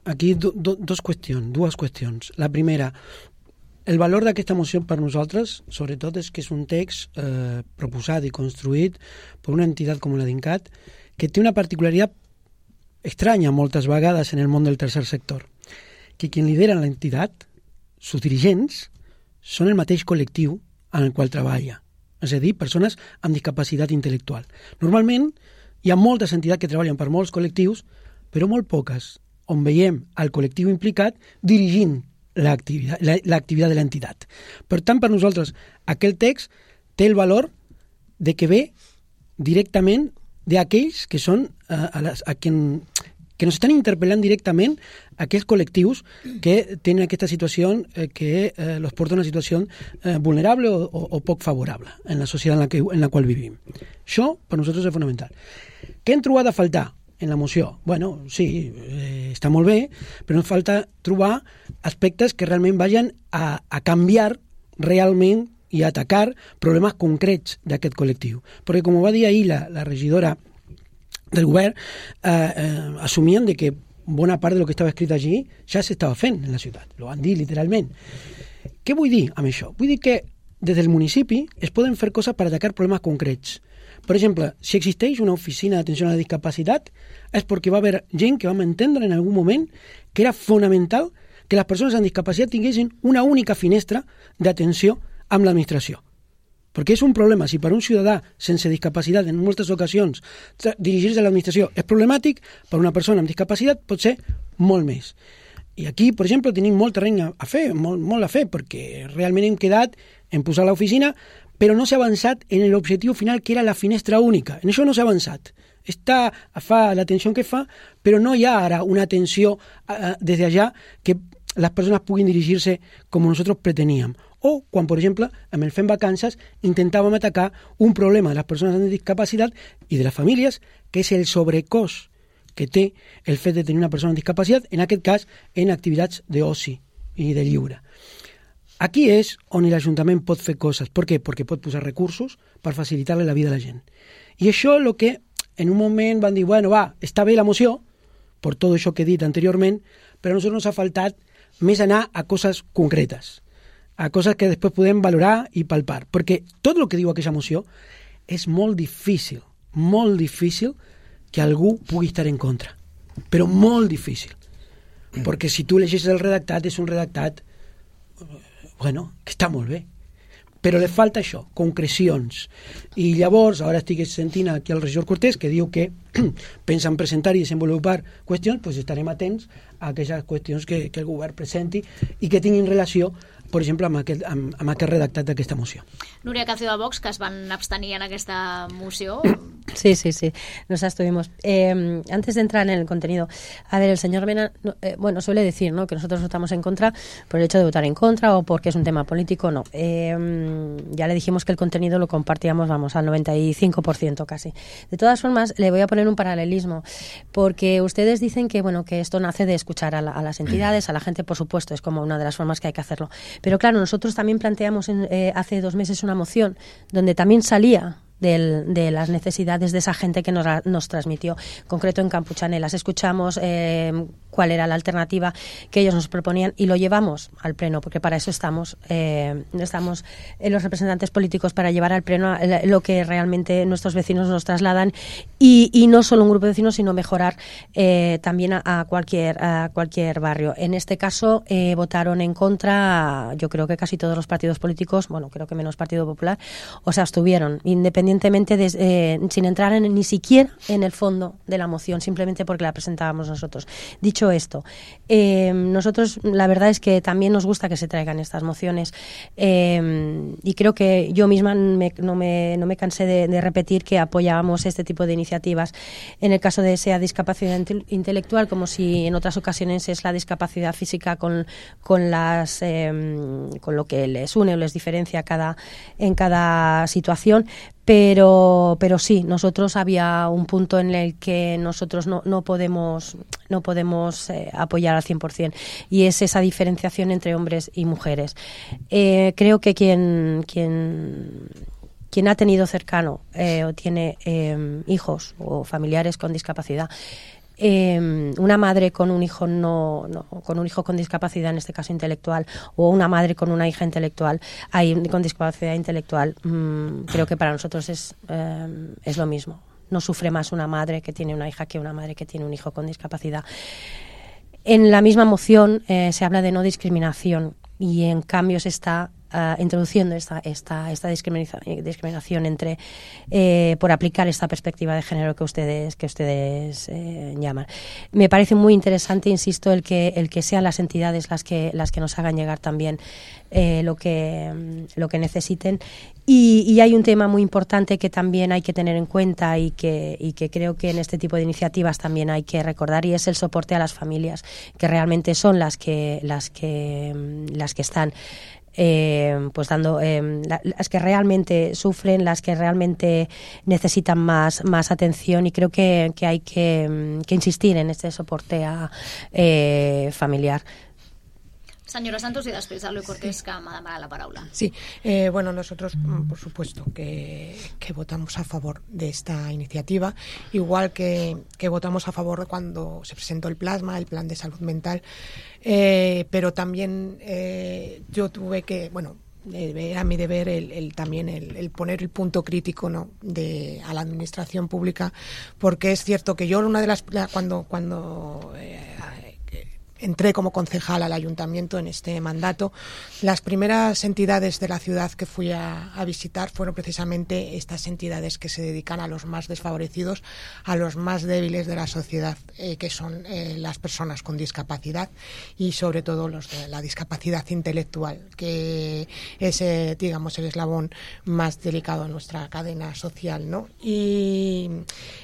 aquí do, do, dos qüestions, dues qüestions. La primera, el valor d'aquesta moció per nosaltres, sobretot, és que és un text eh, proposat i construït per una entitat com la d'INCAT, que té una particularitat estranya moltes vegades en el món del tercer sector, que qui lidera l'entitat, sus dirigents, són el mateix col·lectiu en el qual treballa, és a dir, persones amb discapacitat intel·lectual. Normalment hi ha moltes entitats que treballen per molts col·lectius, però molt poques, on veiem el col·lectiu implicat dirigint l'activitat, l'activitat de l'entitat. Per tant, per nosaltres, aquell text té el valor de que ve directament d'aquells que són a, a, les, a quien, que nos estan interpel·lant directament aquells col·lectius que tenen aquesta situació eh, que eh, los porta a una situació eh, vulnerable o, o, o poc favorable en la societat en la, que, en la qual vivim. Això per nosaltres és fonamental. Què hem trobat a faltar en la moció? Bueno, sí, eh, està molt bé, però ens falta trobar aspectes que realment vagin a, a canviar realment i atacar problemes concrets d'aquest col·lectiu. Perquè, com va dir ahir la, la regidora del govern, eh, eh, assumien de que bona part de lo que estava escrit allí ja s'estava fent en la ciutat. Lo van dir literalment. Què vull dir amb això? Vull dir que des del municipi es poden fer coses per atacar problemes concrets. Per exemple, si existeix una oficina d'atenció a la discapacitat és perquè va haver gent que vam entendre en algun moment que era fonamental que les persones amb discapacitat tinguessin una única finestra d'atenció amb l'administració. Perquè és un problema, si per un ciutadà sense discapacitat en moltes ocasions dirigir-se a l'administració és problemàtic, per una persona amb discapacitat pot ser molt més. I aquí, per exemple, tenim molt terreny a fer, molt, molt a fer, perquè realment hem quedat en posar l'oficina, però no s'ha avançat en l'objectiu final, que era la finestra única. En això no s'ha avançat. Està, fa l'atenció que fa, però no hi ha ara una atenció uh, des d'allà que les persones puguin dirigir-se com nosaltres preteníem. O quan, per exemple, amb el Fem Vacances intentàvem atacar un problema de les persones amb discapacitat i de les famílies, que és el sobrecost que té el fet de tenir una persona amb discapacitat, en aquest cas en activitats d'oci i de lliure. Aquí és on l'Ajuntament pot fer coses. Per què? Perquè pot posar recursos per facilitar-li la vida a la gent. I això és el que en un moment van dir, bueno, va, està bé la moció, per tot això que he dit anteriorment, però a nosaltres ens ha faltat més anar a coses concretes, a coses que després podem valorar i palpar. Perquè tot el que diu aquesta moció és molt difícil, molt difícil que algú pugui estar en contra. Però molt difícil. Perquè si tu llegeixes el redactat, és un redactat, bueno, que està molt bé. però li falta això, concrecions. I llavors, ara estic sentint aquí el regidor Cortés que diu que pensen presentar i desenvolupar qüestions, doncs estarem atents a aquelles qüestions que, que el govern presenti i que tinguin relació, per exemple, amb aquest, amb, amb aquest redactat d'aquesta moció. Núria Calcio de Vox, que es van abstenir en aquesta moció. Sí, sí, sí, nos abstuvimos. Eh, antes de entrar en el contenido, a ver, el señor Mena, eh, bueno, suele decir, ¿no?, que nosotros votamos en contra por el hecho de votar en contra o porque es un tema político, no. Eh, ya le dijimos que el contenido lo compartíamos, vamos, al noventa y cinco por ciento casi. De todas formas, le voy a poner un paralelismo, porque ustedes dicen que, bueno, que esto nace de escuchar a, la, a las entidades, a la gente, por supuesto, es como una de las formas que hay que hacerlo. Pero claro, nosotros también planteamos en, eh, hace dos meses una moción donde también salía del, de las necesidades de esa gente que nos, nos transmitió, concreto en Campuchane. Las escuchamos, eh, cuál era la alternativa que ellos nos proponían y lo llevamos al Pleno, porque para eso estamos, eh, estamos eh, los representantes políticos, para llevar al Pleno lo que realmente nuestros vecinos nos trasladan y, y no solo un grupo de vecinos, sino mejorar eh, también a, a, cualquier, a cualquier barrio. En este caso eh, votaron en contra, yo creo que casi todos los partidos políticos, bueno, creo que menos Partido Popular, o sea, abstuvieron, independientemente de, eh, sin entrar en, ni siquiera en el fondo de la moción, simplemente porque la presentábamos nosotros. Dicho esto, eh, nosotros la verdad es que también nos gusta que se traigan estas mociones eh, y creo que yo misma me, no, me, no me cansé de, de repetir que apoyábamos este tipo de iniciativas. En el caso de sea discapacidad intelectual, como si en otras ocasiones es la discapacidad física con, con, las, eh, con lo que les une o les diferencia cada, en cada situación. Pero, pero sí, nosotros había un punto en el que nosotros no, no podemos, no podemos eh, apoyar al cien por ciento y es esa diferenciación entre hombres y mujeres. Eh, creo que quien, quien, quien ha tenido cercano eh, o tiene eh, hijos o familiares con discapacidad, Eh, una madre con un hijo no, no con un hijo con discapacidad, en este caso intelectual, o una madre con una hija intelectual ahí, con discapacidad intelectual, mmm, creo que para nosotros es, eh, es lo mismo. No sufre más una madre que tiene una hija que una madre que tiene un hijo con discapacidad. En la misma moción eh, se habla de no discriminación y en cambio se está Uh, introduciendo esta, esta, esta discriminación, discriminación entre eh, por aplicar esta perspectiva de género que ustedes que ustedes eh, llaman. Me parece muy interesante, insisto, el que el que sean las entidades las que las que nos hagan llegar también eh, lo que lo que necesiten. Y, y hay un tema muy importante que también hay que tener en cuenta y que, y que creo que en este tipo de iniciativas también hay que recordar, y es el soporte a las familias, que realmente son las que las que las que están Eh, pues dando eh, las que realmente sufren, las que realmente necesitan más más atención, y creo que, que hay que, que insistir en este soporte a, eh, familiar. Senyora Santos, y després a Luis Cortés, que m'ha demanat la paraula. Sí, eh, bueno, nosotros, por supuesto, que, que votamos a favor de esta iniciativa, igual que, que votamos a favor cuando se presentó el plasma, el plan de salud mental, eh, pero también eh, yo tuve que, bueno, era mi deber el, el también el, el poner el punto crítico, ¿no?, de a la administración pública, porque es cierto que yo una de las cuando cuando eh, entré como concejal al ayuntamiento en este mandato, las primeras entidades de la ciudad que fui a, a visitar fueron precisamente estas entidades que se dedican a los más desfavorecidos, a los más débiles de la sociedad, eh, que son eh, las personas con discapacidad y sobre todo los de la discapacidad intelectual, que es, eh, digamos, el eslabón más delicado en nuestra cadena social, ¿no? Y,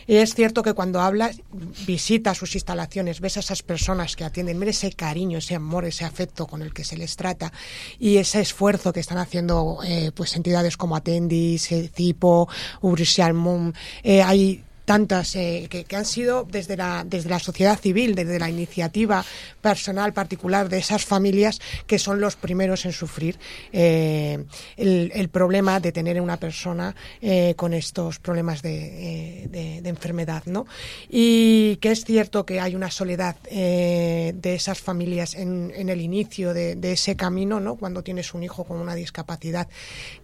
y es cierto que cuando hablas, visitas sus instalaciones, ves a esas personas que atienden, mira ese cariño, ese amor, ese afecto con el que se les trata y ese esfuerzo que están haciendo eh, pues entidades como Atendis, eh, Cipo, Ubrisialmum, eh, hay tantas eh, que, que han sido desde la, desde la sociedad civil, desde la iniciativa personal particular de esas familias, que son los primeros en sufrir eh, el, el problema de tener una persona eh, con estos problemas de, eh, de, de enfermedad, ¿no? Y que es cierto que hay una soledad eh, de esas familias en, en el inicio de, de ese camino, ¿no?, cuando tienes un hijo con una discapacidad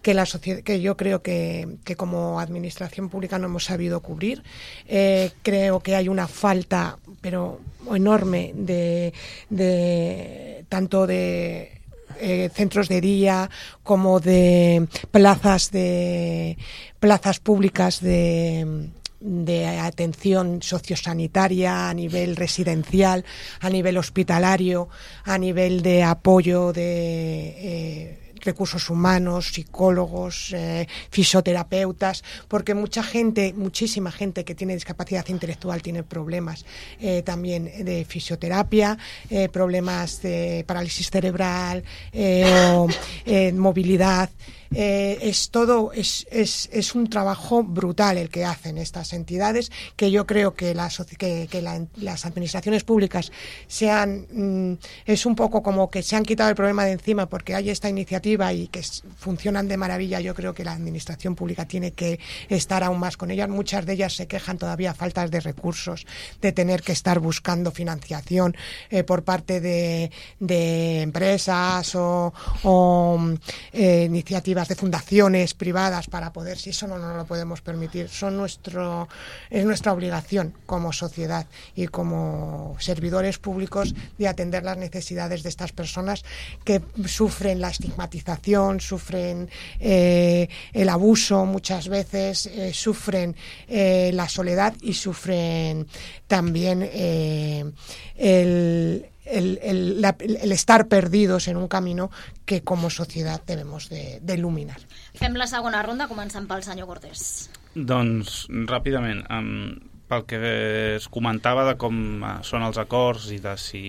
que, la sociedad, que yo creo que, que como administración pública no hemos sabido cubrir. Eh, creo que hay una falta, pero enorme, de, de tanto de eh, centros de día, como de plazas de plazas públicas de de atención sociosanitaria a nivel residencial, a nivel hospitalario, a nivel de apoyo de eh, recursos humanos, psicólogos, eh, fisioterapeutas, porque mucha gente, muchísima gente que tiene discapacidad intelectual tiene problemas eh, también de fisioterapia, eh, problemas de parálisis cerebral, eh, o eh, movilidad. Eh, es todo es, es, es un trabajo brutal el que hacen estas entidades, que yo creo que, la, que, que la, las administraciones públicas sean mm, es un poco como que se han quitado el problema de encima porque hay esta iniciativa y que es, funcionan de maravilla. Yo creo que la administración pública tiene que estar aún más con ellas. Muchas de ellas se quejan todavía faltas de recursos, de tener que estar buscando financiación eh, por parte de, de empresas o, o eh, iniciativas de fundaciones privadas para poder, si eso no nos lo podemos permitir, son nuestro es nuestra obligación como sociedad y como servidores públicos de atender las necesidades de estas personas que sufren la estigmatización, sufren eh, el abuso muchas veces, eh, sufren eh, la soledad y sufren también eh, el El, el, la, el estar perdidos en un camino que com a societat debemos de, de il·luminar. Fem la segona ronda, començant pel senyor Cortés. Doncs, ràpidament, um, pel que es comentava de com uh, són els acords i de si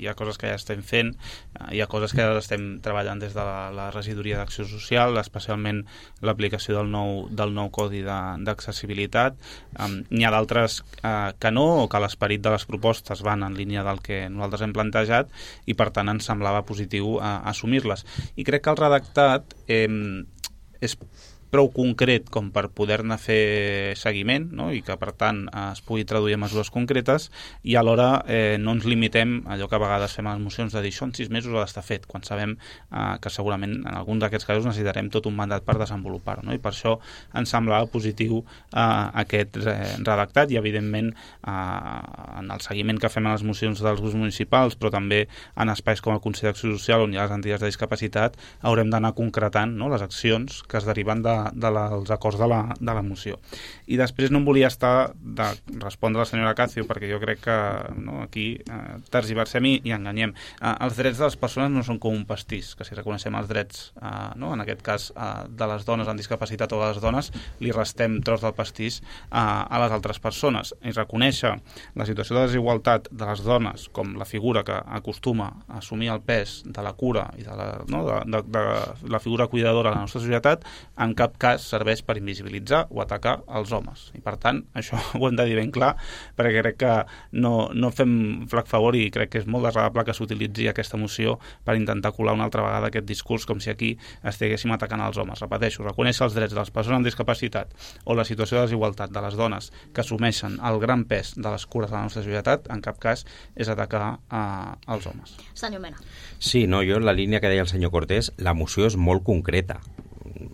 hi ha coses que ja estem fent, uh, hi ha coses que ja estem treballant des de la, la regidoria d'acció social, especialment l'aplicació del nou, del nou codi d'accessibilitat. Um, n'hi ha d'altres uh, que no, o que l'esperit de les propostes van en línia del que nosaltres hem plantejat i per tant ens semblava positiu uh, assumir-les. I crec que el redactat eh, és prou concret com per poder-ne fer seguiment, no? I que per tant es pugui traduir en mesures concretes i alhora eh, no ens limitem a allò que a vegades fem a les mocions de dir això en sis mesos ha d'estar fet, quan sabem eh, que segurament en alguns d'aquests casos necessitarem tot un mandat per desenvolupar-ho, no? I per això ens semblava positiu eh, aquest eh, redactat i evidentment eh, en el seguiment que fem a les mocions dels grups municipals, però també en espais com el Consell d'Acció Social on hi ha les entitats de discapacitat haurem d'anar concretant, no?, les accions que es deriven de dels de acords de la, de la moció. I després no em volia estar de respondre a la senyora Cacio, perquè jo crec que no, aquí eh, tergiversem i, i enganyem. Eh, els drets de les persones no són com un pastís, que si reconeixem els drets, eh, no, en aquest cas eh, de les dones amb discapacitat o de les dones, li restem tros del pastís eh, a les altres persones. I reconèixer la situació de desigualtat de les dones com la figura que acostuma a assumir el pes de la cura i de la, no, de, de, de la figura cuidadora de la nostra societat, en cap cas serveix per invisibilitzar o atacar els homes. I per tant, això ho hem de dir ben clar, perquè crec que no, no fem flac favor i crec que és molt desagradable que s'utilitzi aquesta moció per intentar colar una altra vegada aquest discurs com si aquí estiguéssim atacant els homes. Repeteixo, reconèixer els drets de les persones amb discapacitat o la situació de desigualtat de les dones que assumeixen el gran pes de les cures de la nostra societat, en cap cas és atacar eh, els homes. Senyor Mena. Sí, no, jo en la línia que deia el senyor Cortés, la moció és molt concreta.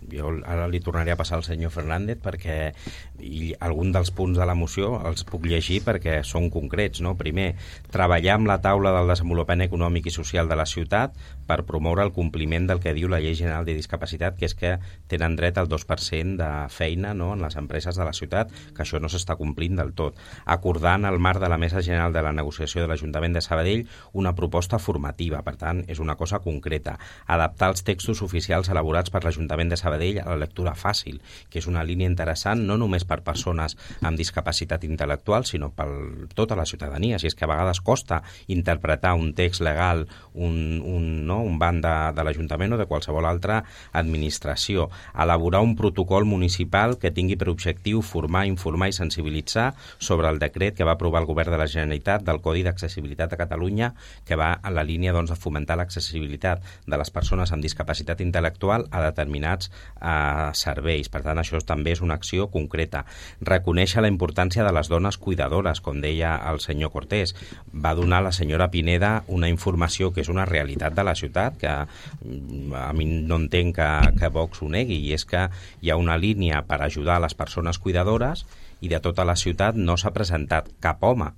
Jo ara li tornaré a passar al senyor Fernández perquè i algun dels punts de la moció els puc llegir perquè són concrets, no? Primer, treballar amb la taula del desenvolupament econòmic i social de la ciutat per promoure el compliment del que diu la Llei General de Discapacitat, que és que tenen dret al dos per cent de feina, no?, en les empreses de la ciutat, que això no s'està complint del tot. Acordar en el marc de la Mesa General de la Negociació de l'Ajuntament de Sabadell una proposta formativa, per tant, és una cosa concreta. Adaptar els textos oficials elaborats per l'Ajuntament de Sabadell a la lectura fàcil, que és una línia interessant no només per persones amb discapacitat intel·lectual, sinó per tota la ciutadania. Si és que a vegades costa interpretar un text legal, un, un, no, un banc de, de l'Ajuntament o de qualsevol altra administració. Elaborar un protocol municipal que tingui per objectiu formar, informar i sensibilitzar sobre el decret que va aprovar el Govern de la Generalitat del Codi d'Accessibilitat a Catalunya, que va en la línia doncs, de fomentar l'accessibilitat de les persones amb discapacitat intel·lectual a determinats eh, serveis. Per tant, això també és una acció concreta. Reconèixer la importància de les dones cuidadores, com deia el senyor Cortés. Va donar la senyora Pineda una informació que és una realitat de la ciutat, que a mi no entenc que, que Vox ho negui, i és que hi ha una línia per ajudar a les persones cuidadores i de tota la ciutat no s'ha presentat cap home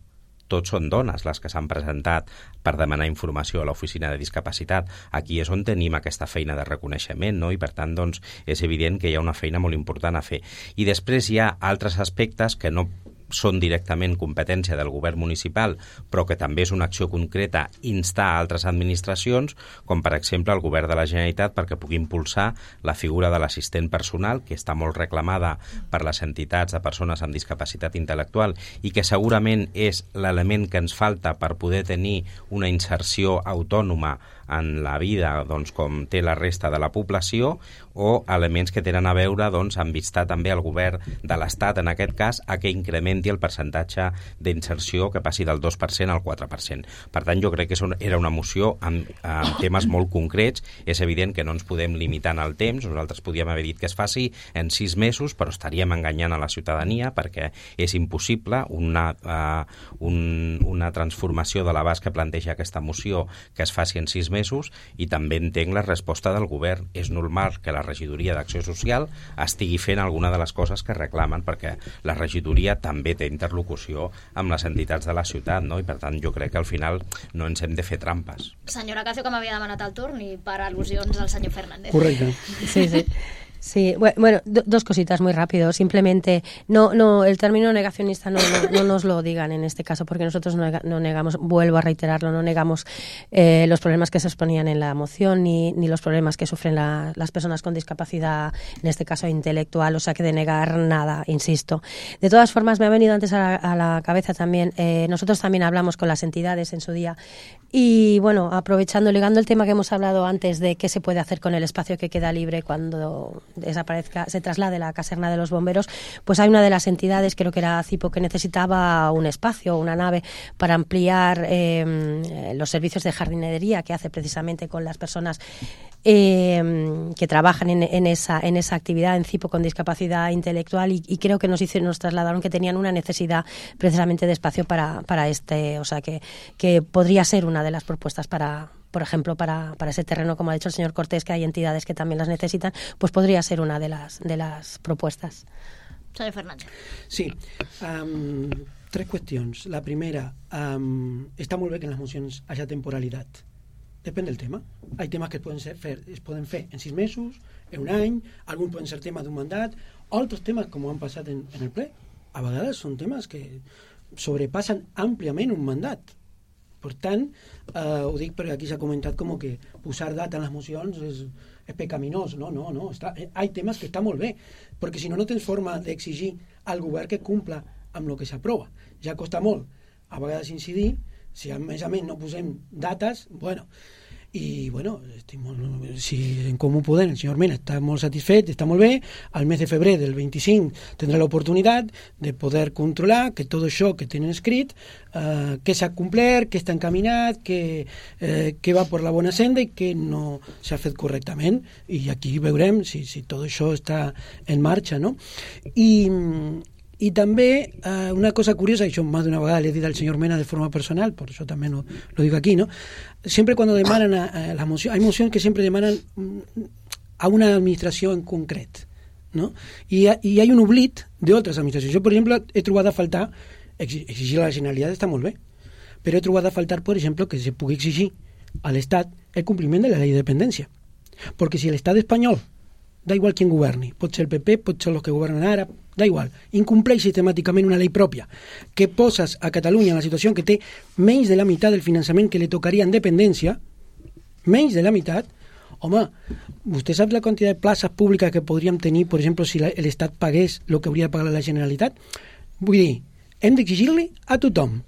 tots són dones les que s'han presentat per demanar informació a l'oficina de discapacitat. Aquí és on tenim aquesta feina de reconeixement, no? I per tant doncs, és evident que hi ha una feina molt important a fer. I després hi ha altres aspectes que no són directament competència del govern municipal, però que també és una acció concreta instar a altres administracions, com per exemple el govern de la Generalitat, perquè pugui impulsar la figura de l'assistent personal, que està molt reclamada per les entitats de persones amb discapacitat intel·lectual i que segurament és l'element que ens falta per poder tenir una inserció autònoma en la vida, doncs, com té la resta de la població, o elements que tenen a veure doncs, amb instar també al govern de l'Estat, en aquest cas, a que incrementi el percentatge d'inserció que passi del dos per cent al quatre per cent. Per tant, jo crec que era una moció amb, amb temes molt concrets. És evident que no ens podem limitar en el temps. Nosaltres podíem haver dit que es faci en sis mesos, però estaríem enganyant a la ciutadania perquè és impossible una, uh, un, una transformació de l'abast que planteja aquesta moció que es faci en sis mesos, i també entenc la resposta del govern. És normal que la regidoria d'Acció Social estigui fent alguna de les coses que reclamen, perquè la regidoria també té interlocució amb les entitats de la ciutat, no? I per tant jo crec que al final no ens hem de fer trampes. Senyora Cacio, que m'havia demanat el torn, i per al·lusions al senyor Fernández. Correcte. Sí, sí. Sí, bueno, do, dos cositas muy rápido. Simplemente, no, no, el término negacionista no, no, no nos lo digan en este caso, porque nosotros no, no negamos, vuelvo a reiterarlo, no negamos eh, los problemas que se exponían en la moción, ni, ni los problemas que sufren la, las personas con discapacidad, en este caso intelectual, o sea que de negar nada, insisto. De todas formas, me ha venido antes a la, a la cabeza también, eh, nosotros también hablamos con las entidades en su día, y bueno, aprovechando, ligando el tema que hemos hablado antes de qué se puede hacer con el espacio que queda libre cuando desaparezca, se traslade la caserna de los bomberos, pues hay una de las entidades, creo que era Cipo, que necesitaba un espacio, una nave para ampliar eh, los servicios de jardinería que hace precisamente con las personas eh, que trabajan en, en, esa, en esa actividad en Cipo con discapacidad intelectual, y, y creo que nos hicieron, nos trasladaron que tenían una necesidad precisamente de espacio para, para este, o sea que, que podría ser una de las propuestas para, por ejemplo, para, para ese terreno, como ha dicho el señor Cortés, que hay entidades que también las necesitan, pues podría ser una de las, de las propuestas. Senyor Fernández. Sí, um, tres qüestions. La primera, um, està molt bé que en les mocions hi hagi temporalitat. Depèn del tema. Hi ha temes que es poden, ser, fer, es poden fer en sis mesos, en un any, alguns poden ser temes d'un mandat, altres temes, com han passat en, en el ple, a vegades són temes que sobrepassen àmpliament un mandat. Per tant, eh, ho dic perquè aquí s'ha comentat com que posar data en les mocions és, és pecaminós. No, no, no. Està, hi ha temes que està molt bé, perquè si no, no tens forma d'exigir al govern que cumpla amb el que s'aprova. Ja costa molt a vegades incidir, si a més a més no posem dates, bueno... I, bueno, estic molt, si en Comú Podem el senyor Mena està molt satisfet, està molt bé, al mes de febrer del vint-i-cinc tindrà l'oportunitat de poder controlar que tot això que tenen escrit, eh, que s'ha complert, que està encaminat, que, eh, que va per la bona senda i que no s'ha fet correctament, i aquí veurem si, si tot això està en marxa, no? I... I també eh, una cosa curiosa, y yo más de una vegada le he dit al señor Mena de forma personal, por eso también lo, lo digo aquí, ¿no? Siempre cuando demanan a, a las mociones, hay mociones que siempre demanan a una administració en concret, ¿no? I, i hay un oblit d'altres administracions. Jo, per exemple, he trobat a faltar, exigir a la Generalitat està molt bé, però he trobat a faltar, per exemple, que se pugui exigir a l'Estat el compliment de la llei de dependència. Perquè si l'Estat espanyol, da igual quien governi, pot ser el P P, pot ser els que governen ara, da igual, incompleix sistemàticament una llei pròpia que poses a Catalunya en la situació que té menys de la meitat del finançament que li tocaria en dependència, menys de la meitat, home, vostè sap la quantitat de places públiques que podríem tenir, per exemple, si l'Estat pagués el que hauria de pagar la Generalitat? Vull dir, hem d'exigir-li a tothom,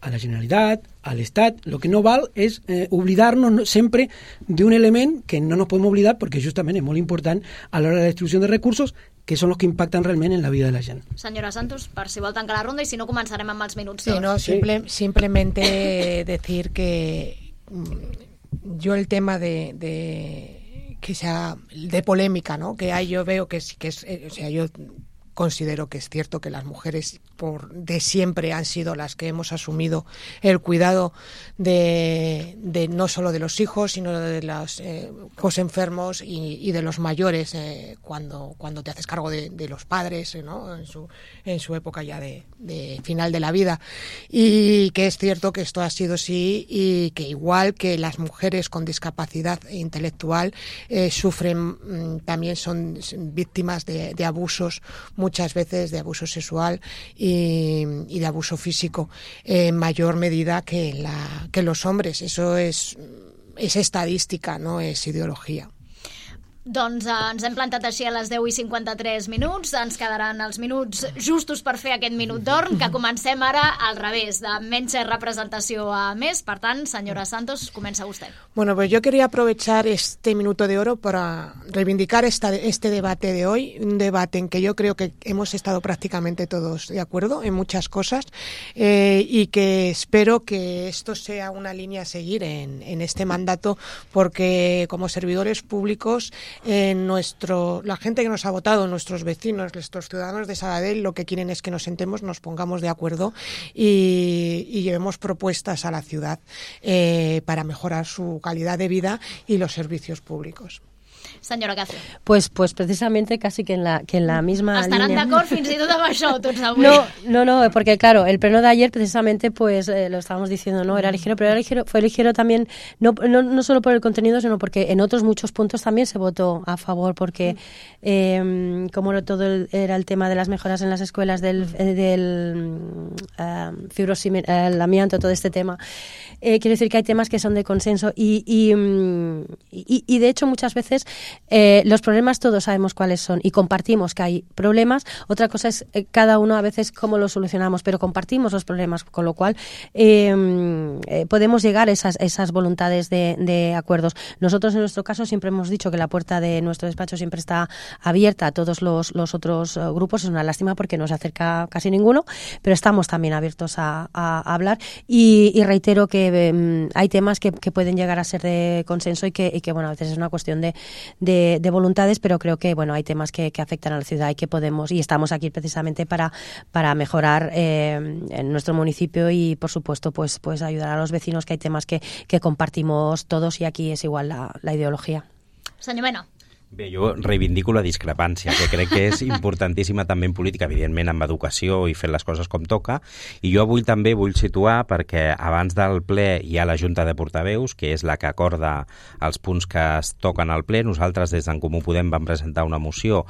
a la Generalitat, a l'Estat. El que no val és eh, oblidar-nos sempre d'un element que no nos podem oblidar perquè justament és molt important a l'hora de la distribució de recursos, que són els que impacten realment en la vida de la gent. Senyora Santos, per si vol tancar la ronda, i si no començarem amb els minuts. Sí, no, simple, simplemente decir que yo el tema de, de que sea de polémica, ¿no? Que hay, yo veo que sí que es, o sea, yo considero que es cierto que las mujeres por de siempre han sido las que hemos asumido el cuidado de, de no solo de los hijos, sino de los eh, hijos enfermos y, y de los mayores eh, cuando, cuando te haces cargo de, de los padres, eh, ¿no? en, su, en su época ya de, de final de la vida. Y que es cierto que esto ha sido así y que igual que las mujeres con discapacidad intelectual eh, sufren, mm, también son víctimas de, de abusos, muchas veces de abuso sexual y, y de abuso físico en mayor medida que, la, que los hombres. Eso es, es estadística, no es ideología. Doncs eh, ens hem plantat així a les deu i cinquanta-tres minuts, ens quedaran els minuts justos per fer aquest minut d'or, que comencem ara al revés, de menys representació a més. Per tant, senyora Santos, comença vostè. Bueno, pues yo quería aprovechar este minuto de oro para reivindicar esta, este debate de hoy, un debate en que yo creo que hemos estado prácticamente todos de acuerdo en muchas cosas eh, y que espero que esto sea una línea a seguir en, en este mandato, porque como servidores públicos Eh, nuestro, la gente que nos ha votado, nuestros vecinos, nuestros ciudadanos de Sabadell, lo que quieren es que nos sentemos, nos pongamos de acuerdo y, y llevemos propuestas a la ciudad eh, para mejorar su calidad de vida y los servicios públicos. Senyora Cáceres. Pues, pues precisamente casi que en la, que en la misma Estaran línea. d'acord fins i tot amb això, tots avui. No, no, no, porque claro, el pleno de ayer precisamente, pues eh, lo estábamos diciendo, ¿no? Era ligero, pero era ligero, fue ligero también, no, no, no solo por el contenido, sino porque en otros muchos puntos también se votó a favor, porque eh, como todo el, era el tema de las mejoras en las escuelas, del, del uh, fibrosimi, el amianto, todo este tema, eh, quiero decir que hay temas que son de consenso y, y, y, y de hecho muchas veces Eh, los problemas todos sabemos cuáles son y compartimos que hay problemas. Otra cosa es eh, cada uno a veces cómo los solucionamos, pero compartimos los problemas, con lo cual eh, eh, podemos llegar a esas, esas voluntades de, de acuerdos. Nosotros en nuestro caso siempre hemos dicho que la puerta de nuestro despacho siempre está abierta a todos los, los otros uh, grupos. Es una lástima porque no se acerca casi ninguno, pero estamos también abiertos a, a, a hablar y, y reitero que eh, hay temas que, que pueden llegar a ser de consenso y que, y que bueno, a veces es una cuestión de De, de voluntades, pero creo que bueno hay temas que, que afectan a la ciudad y que podemos, y estamos aquí precisamente para, para mejorar eh, en nuestro municipio y por supuesto pues, pues ayudar a los vecinos, que hay temas que, que compartimos todos y aquí es igual la, la ideología. Senyor Mena. Bé, jo reivindico la discrepància, que crec que és importantíssima també en política, evidentment amb educació i fent les coses com toca, i jo avui també vull situar, perquè abans del ple hi ha la Junta de Portaveus, que és la que acorda els punts que es toquen al ple. Nosaltres des d'en Comú Podem vam presentar una moció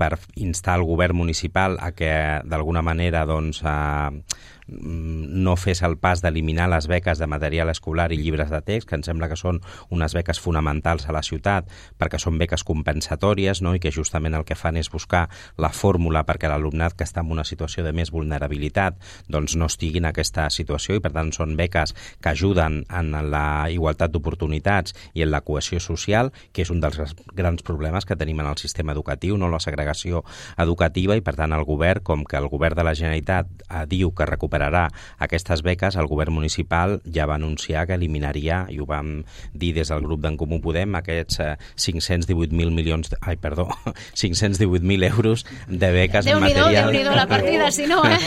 per instar el govern municipal a que d'alguna manera doncs, eh, no fes el pas d'eliminar les beques de material escolar i llibres de text, que em sembla que són unes beques fonamentals a la ciutat, perquè són beques compensatòries, no? I que justament el que fan és buscar la fórmula perquè l'alumnat que està en una situació de més vulnerabilitat doncs no estigui en aquesta situació, i per tant són beques que ajuden en la igualtat d'oportunitats i en la cohesió social, que és un dels grans problemes que tenim en el sistema educatiu, no? La segregació educativa, i per tant el govern, com que el govern de la Generalitat eh, diu que recupera aquestes beques, el govern municipal ja va anunciar que eliminaria, i ho vam dir des del grup d'en Comú Podem, aquests eh, cinc-cents divuit mil milions, ai, perdó, cinc-cents divuit mil euros de beques en material... Déu-n'hi-do la partida, si no, eh?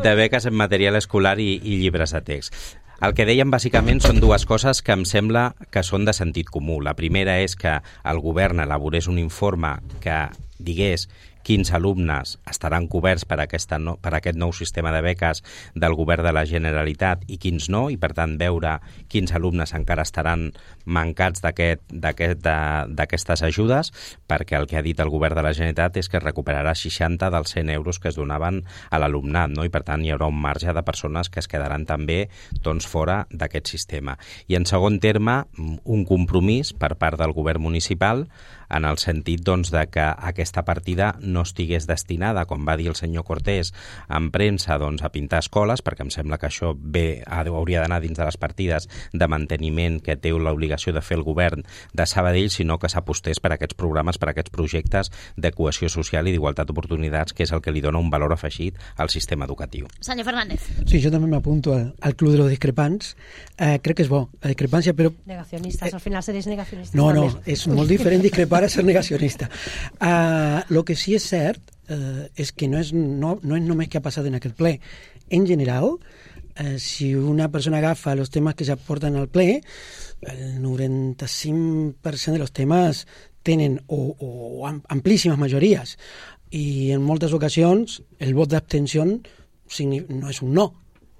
de beques en material escolar i, i llibres de text. El que dèiem bàsicament són dues coses que em sembla que són de sentit comú. La primera és que el govern elaborés un informe que digués quins alumnes estaran coberts per, aquesta no, per aquest nou sistema de beques del govern de la Generalitat i quins no, i per tant veure quins alumnes encara estaran mancats d'aquestes ajudes, perquè el que ha dit el govern de la Generalitat és que recuperarà seixanta dels cent euros que es donaven a l'alumnat, no? I per tant hi haurà un marge de persones que es quedaran també doncs, fora d'aquest sistema. I en segon terme, un compromís per part del govern municipal en el sentit doncs, de que aquesta partida no estigués destinada, com va dir el senyor Cortés en premsa, doncs, a pintar escoles, perquè em sembla que això bé hauria d'anar dins de les partides de manteniment que té l'obligació de fer el govern de Sabadell, sinó que s'apostés per aquests programes, per aquests projectes de cohesió social i d'igualtat d'oportunitats, que és el que li dona un valor afegit al sistema educatiu. Senyor Fernández. Sí, jo també m'apunto al, al club de los discrepants. Eh, crec que és bo, la discrepància, però... Negacionistas, eh, al final seréis negacionistas. No, també. no, és molt diferent discrepar a ser negacionista. Uh, lo que sí és cert eh, és que no és, no, no és només que ha passat en aquest ple. En general, eh, si una persona agafa els temes que s'aporten al ple, el noranta-cinc per cent de los temes tenen o, o amplíssimes majories, i en moltes ocasions el vot d'abstenció no és un no,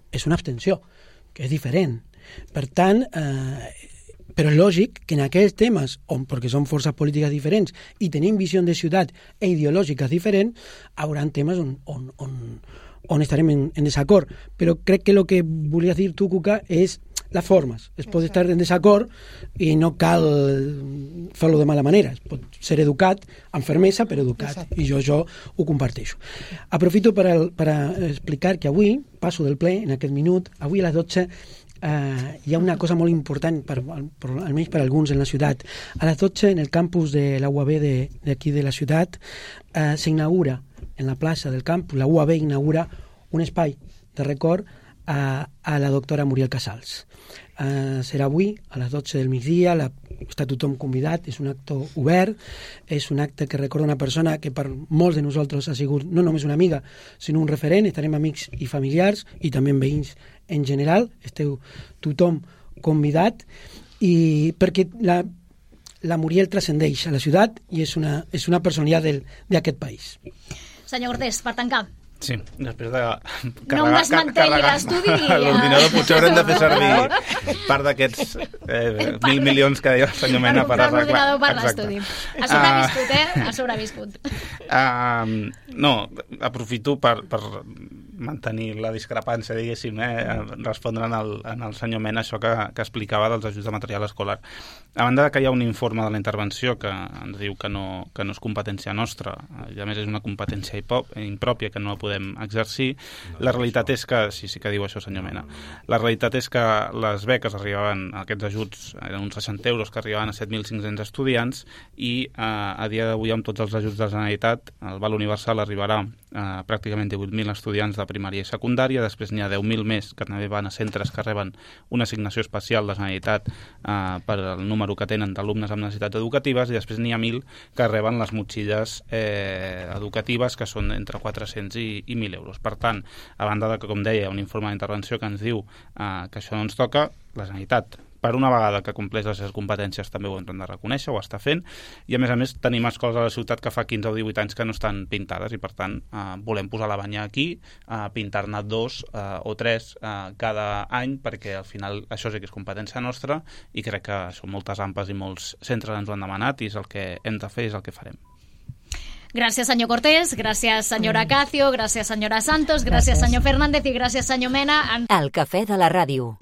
és una abstenció, que és diferent. Per tant, eh, però és lògic que en aquells temes, on, perquè són forces polítiques diferents i tenim visió de ciutat e ideològiques diferents, hi haurà temes on, on, on, on estarem en, en desacord. Però crec que el que volies dir tu, Cuca, és les formes. Es pot estar en desacord i no cal fer-lo de mala manera. Es pot ser educat, amb fermesa, però educat. Exacte. I jo això ho comparteixo. Aprofito per, al, per a explicar que avui, passo del ple, en aquest minut, avui a les dotze, eh, hi ha una cosa molt important, per, per, almenys per alguns en la ciutat. A les dotze, en el campus de la U A B d'aquí de, de la ciutat, eh, s'inaugura, en la plaça del campus, la U A B inaugura un espai de record a, a la doctora Muriel Casals. Uh, serà avui a les dotze del migdia, la, està tothom convidat, és un acte obert, és un acte que recorda una persona que per molts de nosaltres ha sigut no només una amiga, sinó un referent. Estarem amics i familiars i també veïns en general, esteu tothom convidat, i perquè la, la Muriel transcendeix a la ciutat i és una, és una personalitat d'aquest país. Senyor Cortés, per tancar. Sí, després de carregar, no em desmantelli l'estudi. L'ordinador potser haurem de fer servir part d'aquests eh, mil milions que deia el senyor Mena per arreglar. L'ordinador per l'estudi. Ha sobreviscut, eh? Ha sobreviscut. Uh, no, aprofito per, per mantenir la discrepància, diguéssim, eh? respondre en el, en el senyor Mena això que, que explicava dels ajuts de material escolar. A banda que hi ha un informe de la intervenció que ens diu que no, que no és competència nostra, i a més és una competència impròpia que no la podem exercir, la realitat és que, sí, sí que diu això senyor Mena, la realitat és que les beques arribaven, aquests ajuts eren uns seixanta euros que arribaven a set mil cinc-cents estudiants i eh, a dia d'avui amb tots els ajuts de la Generalitat el val universal arribarà a pràcticament divuit mil estudiants de primària i secundària, després n'hi ha deu mil més que també van a centres que reben una assignació especial de la Generalitat eh, per el número que tenen d'alumnes amb necessitats educatives, i després n'hi ha mil que reben les motxilles eh, educatives, que són entre quatre-cents i, i mil euros. Per tant, a banda de que, com deia, un informe d'intervenció que ens diu eh, que això no ens toca, la Generalitat, per una vegada que compleix les seves competències, també ho hem de reconèixer, ho està fent, i a més a més tenim escoles a la ciutat que fa quinze o divuit anys que no estan pintades, i per tant eh, volem posar la banya aquí, eh, pintar-ne dos eh, o tres eh, cada any, perquè al final això sí que és competència nostra, i crec que són moltes ampes i molts centres ens ho han demanat, i és el que hem de fer, és el que farem. Gràcies, senyor Cortés, gràcies, senyora Acacio, gràcies, senyora Santos, gràcies, gràcies. senyor Fernández, i gràcies, senyor Mena. El cafè de la ràdio.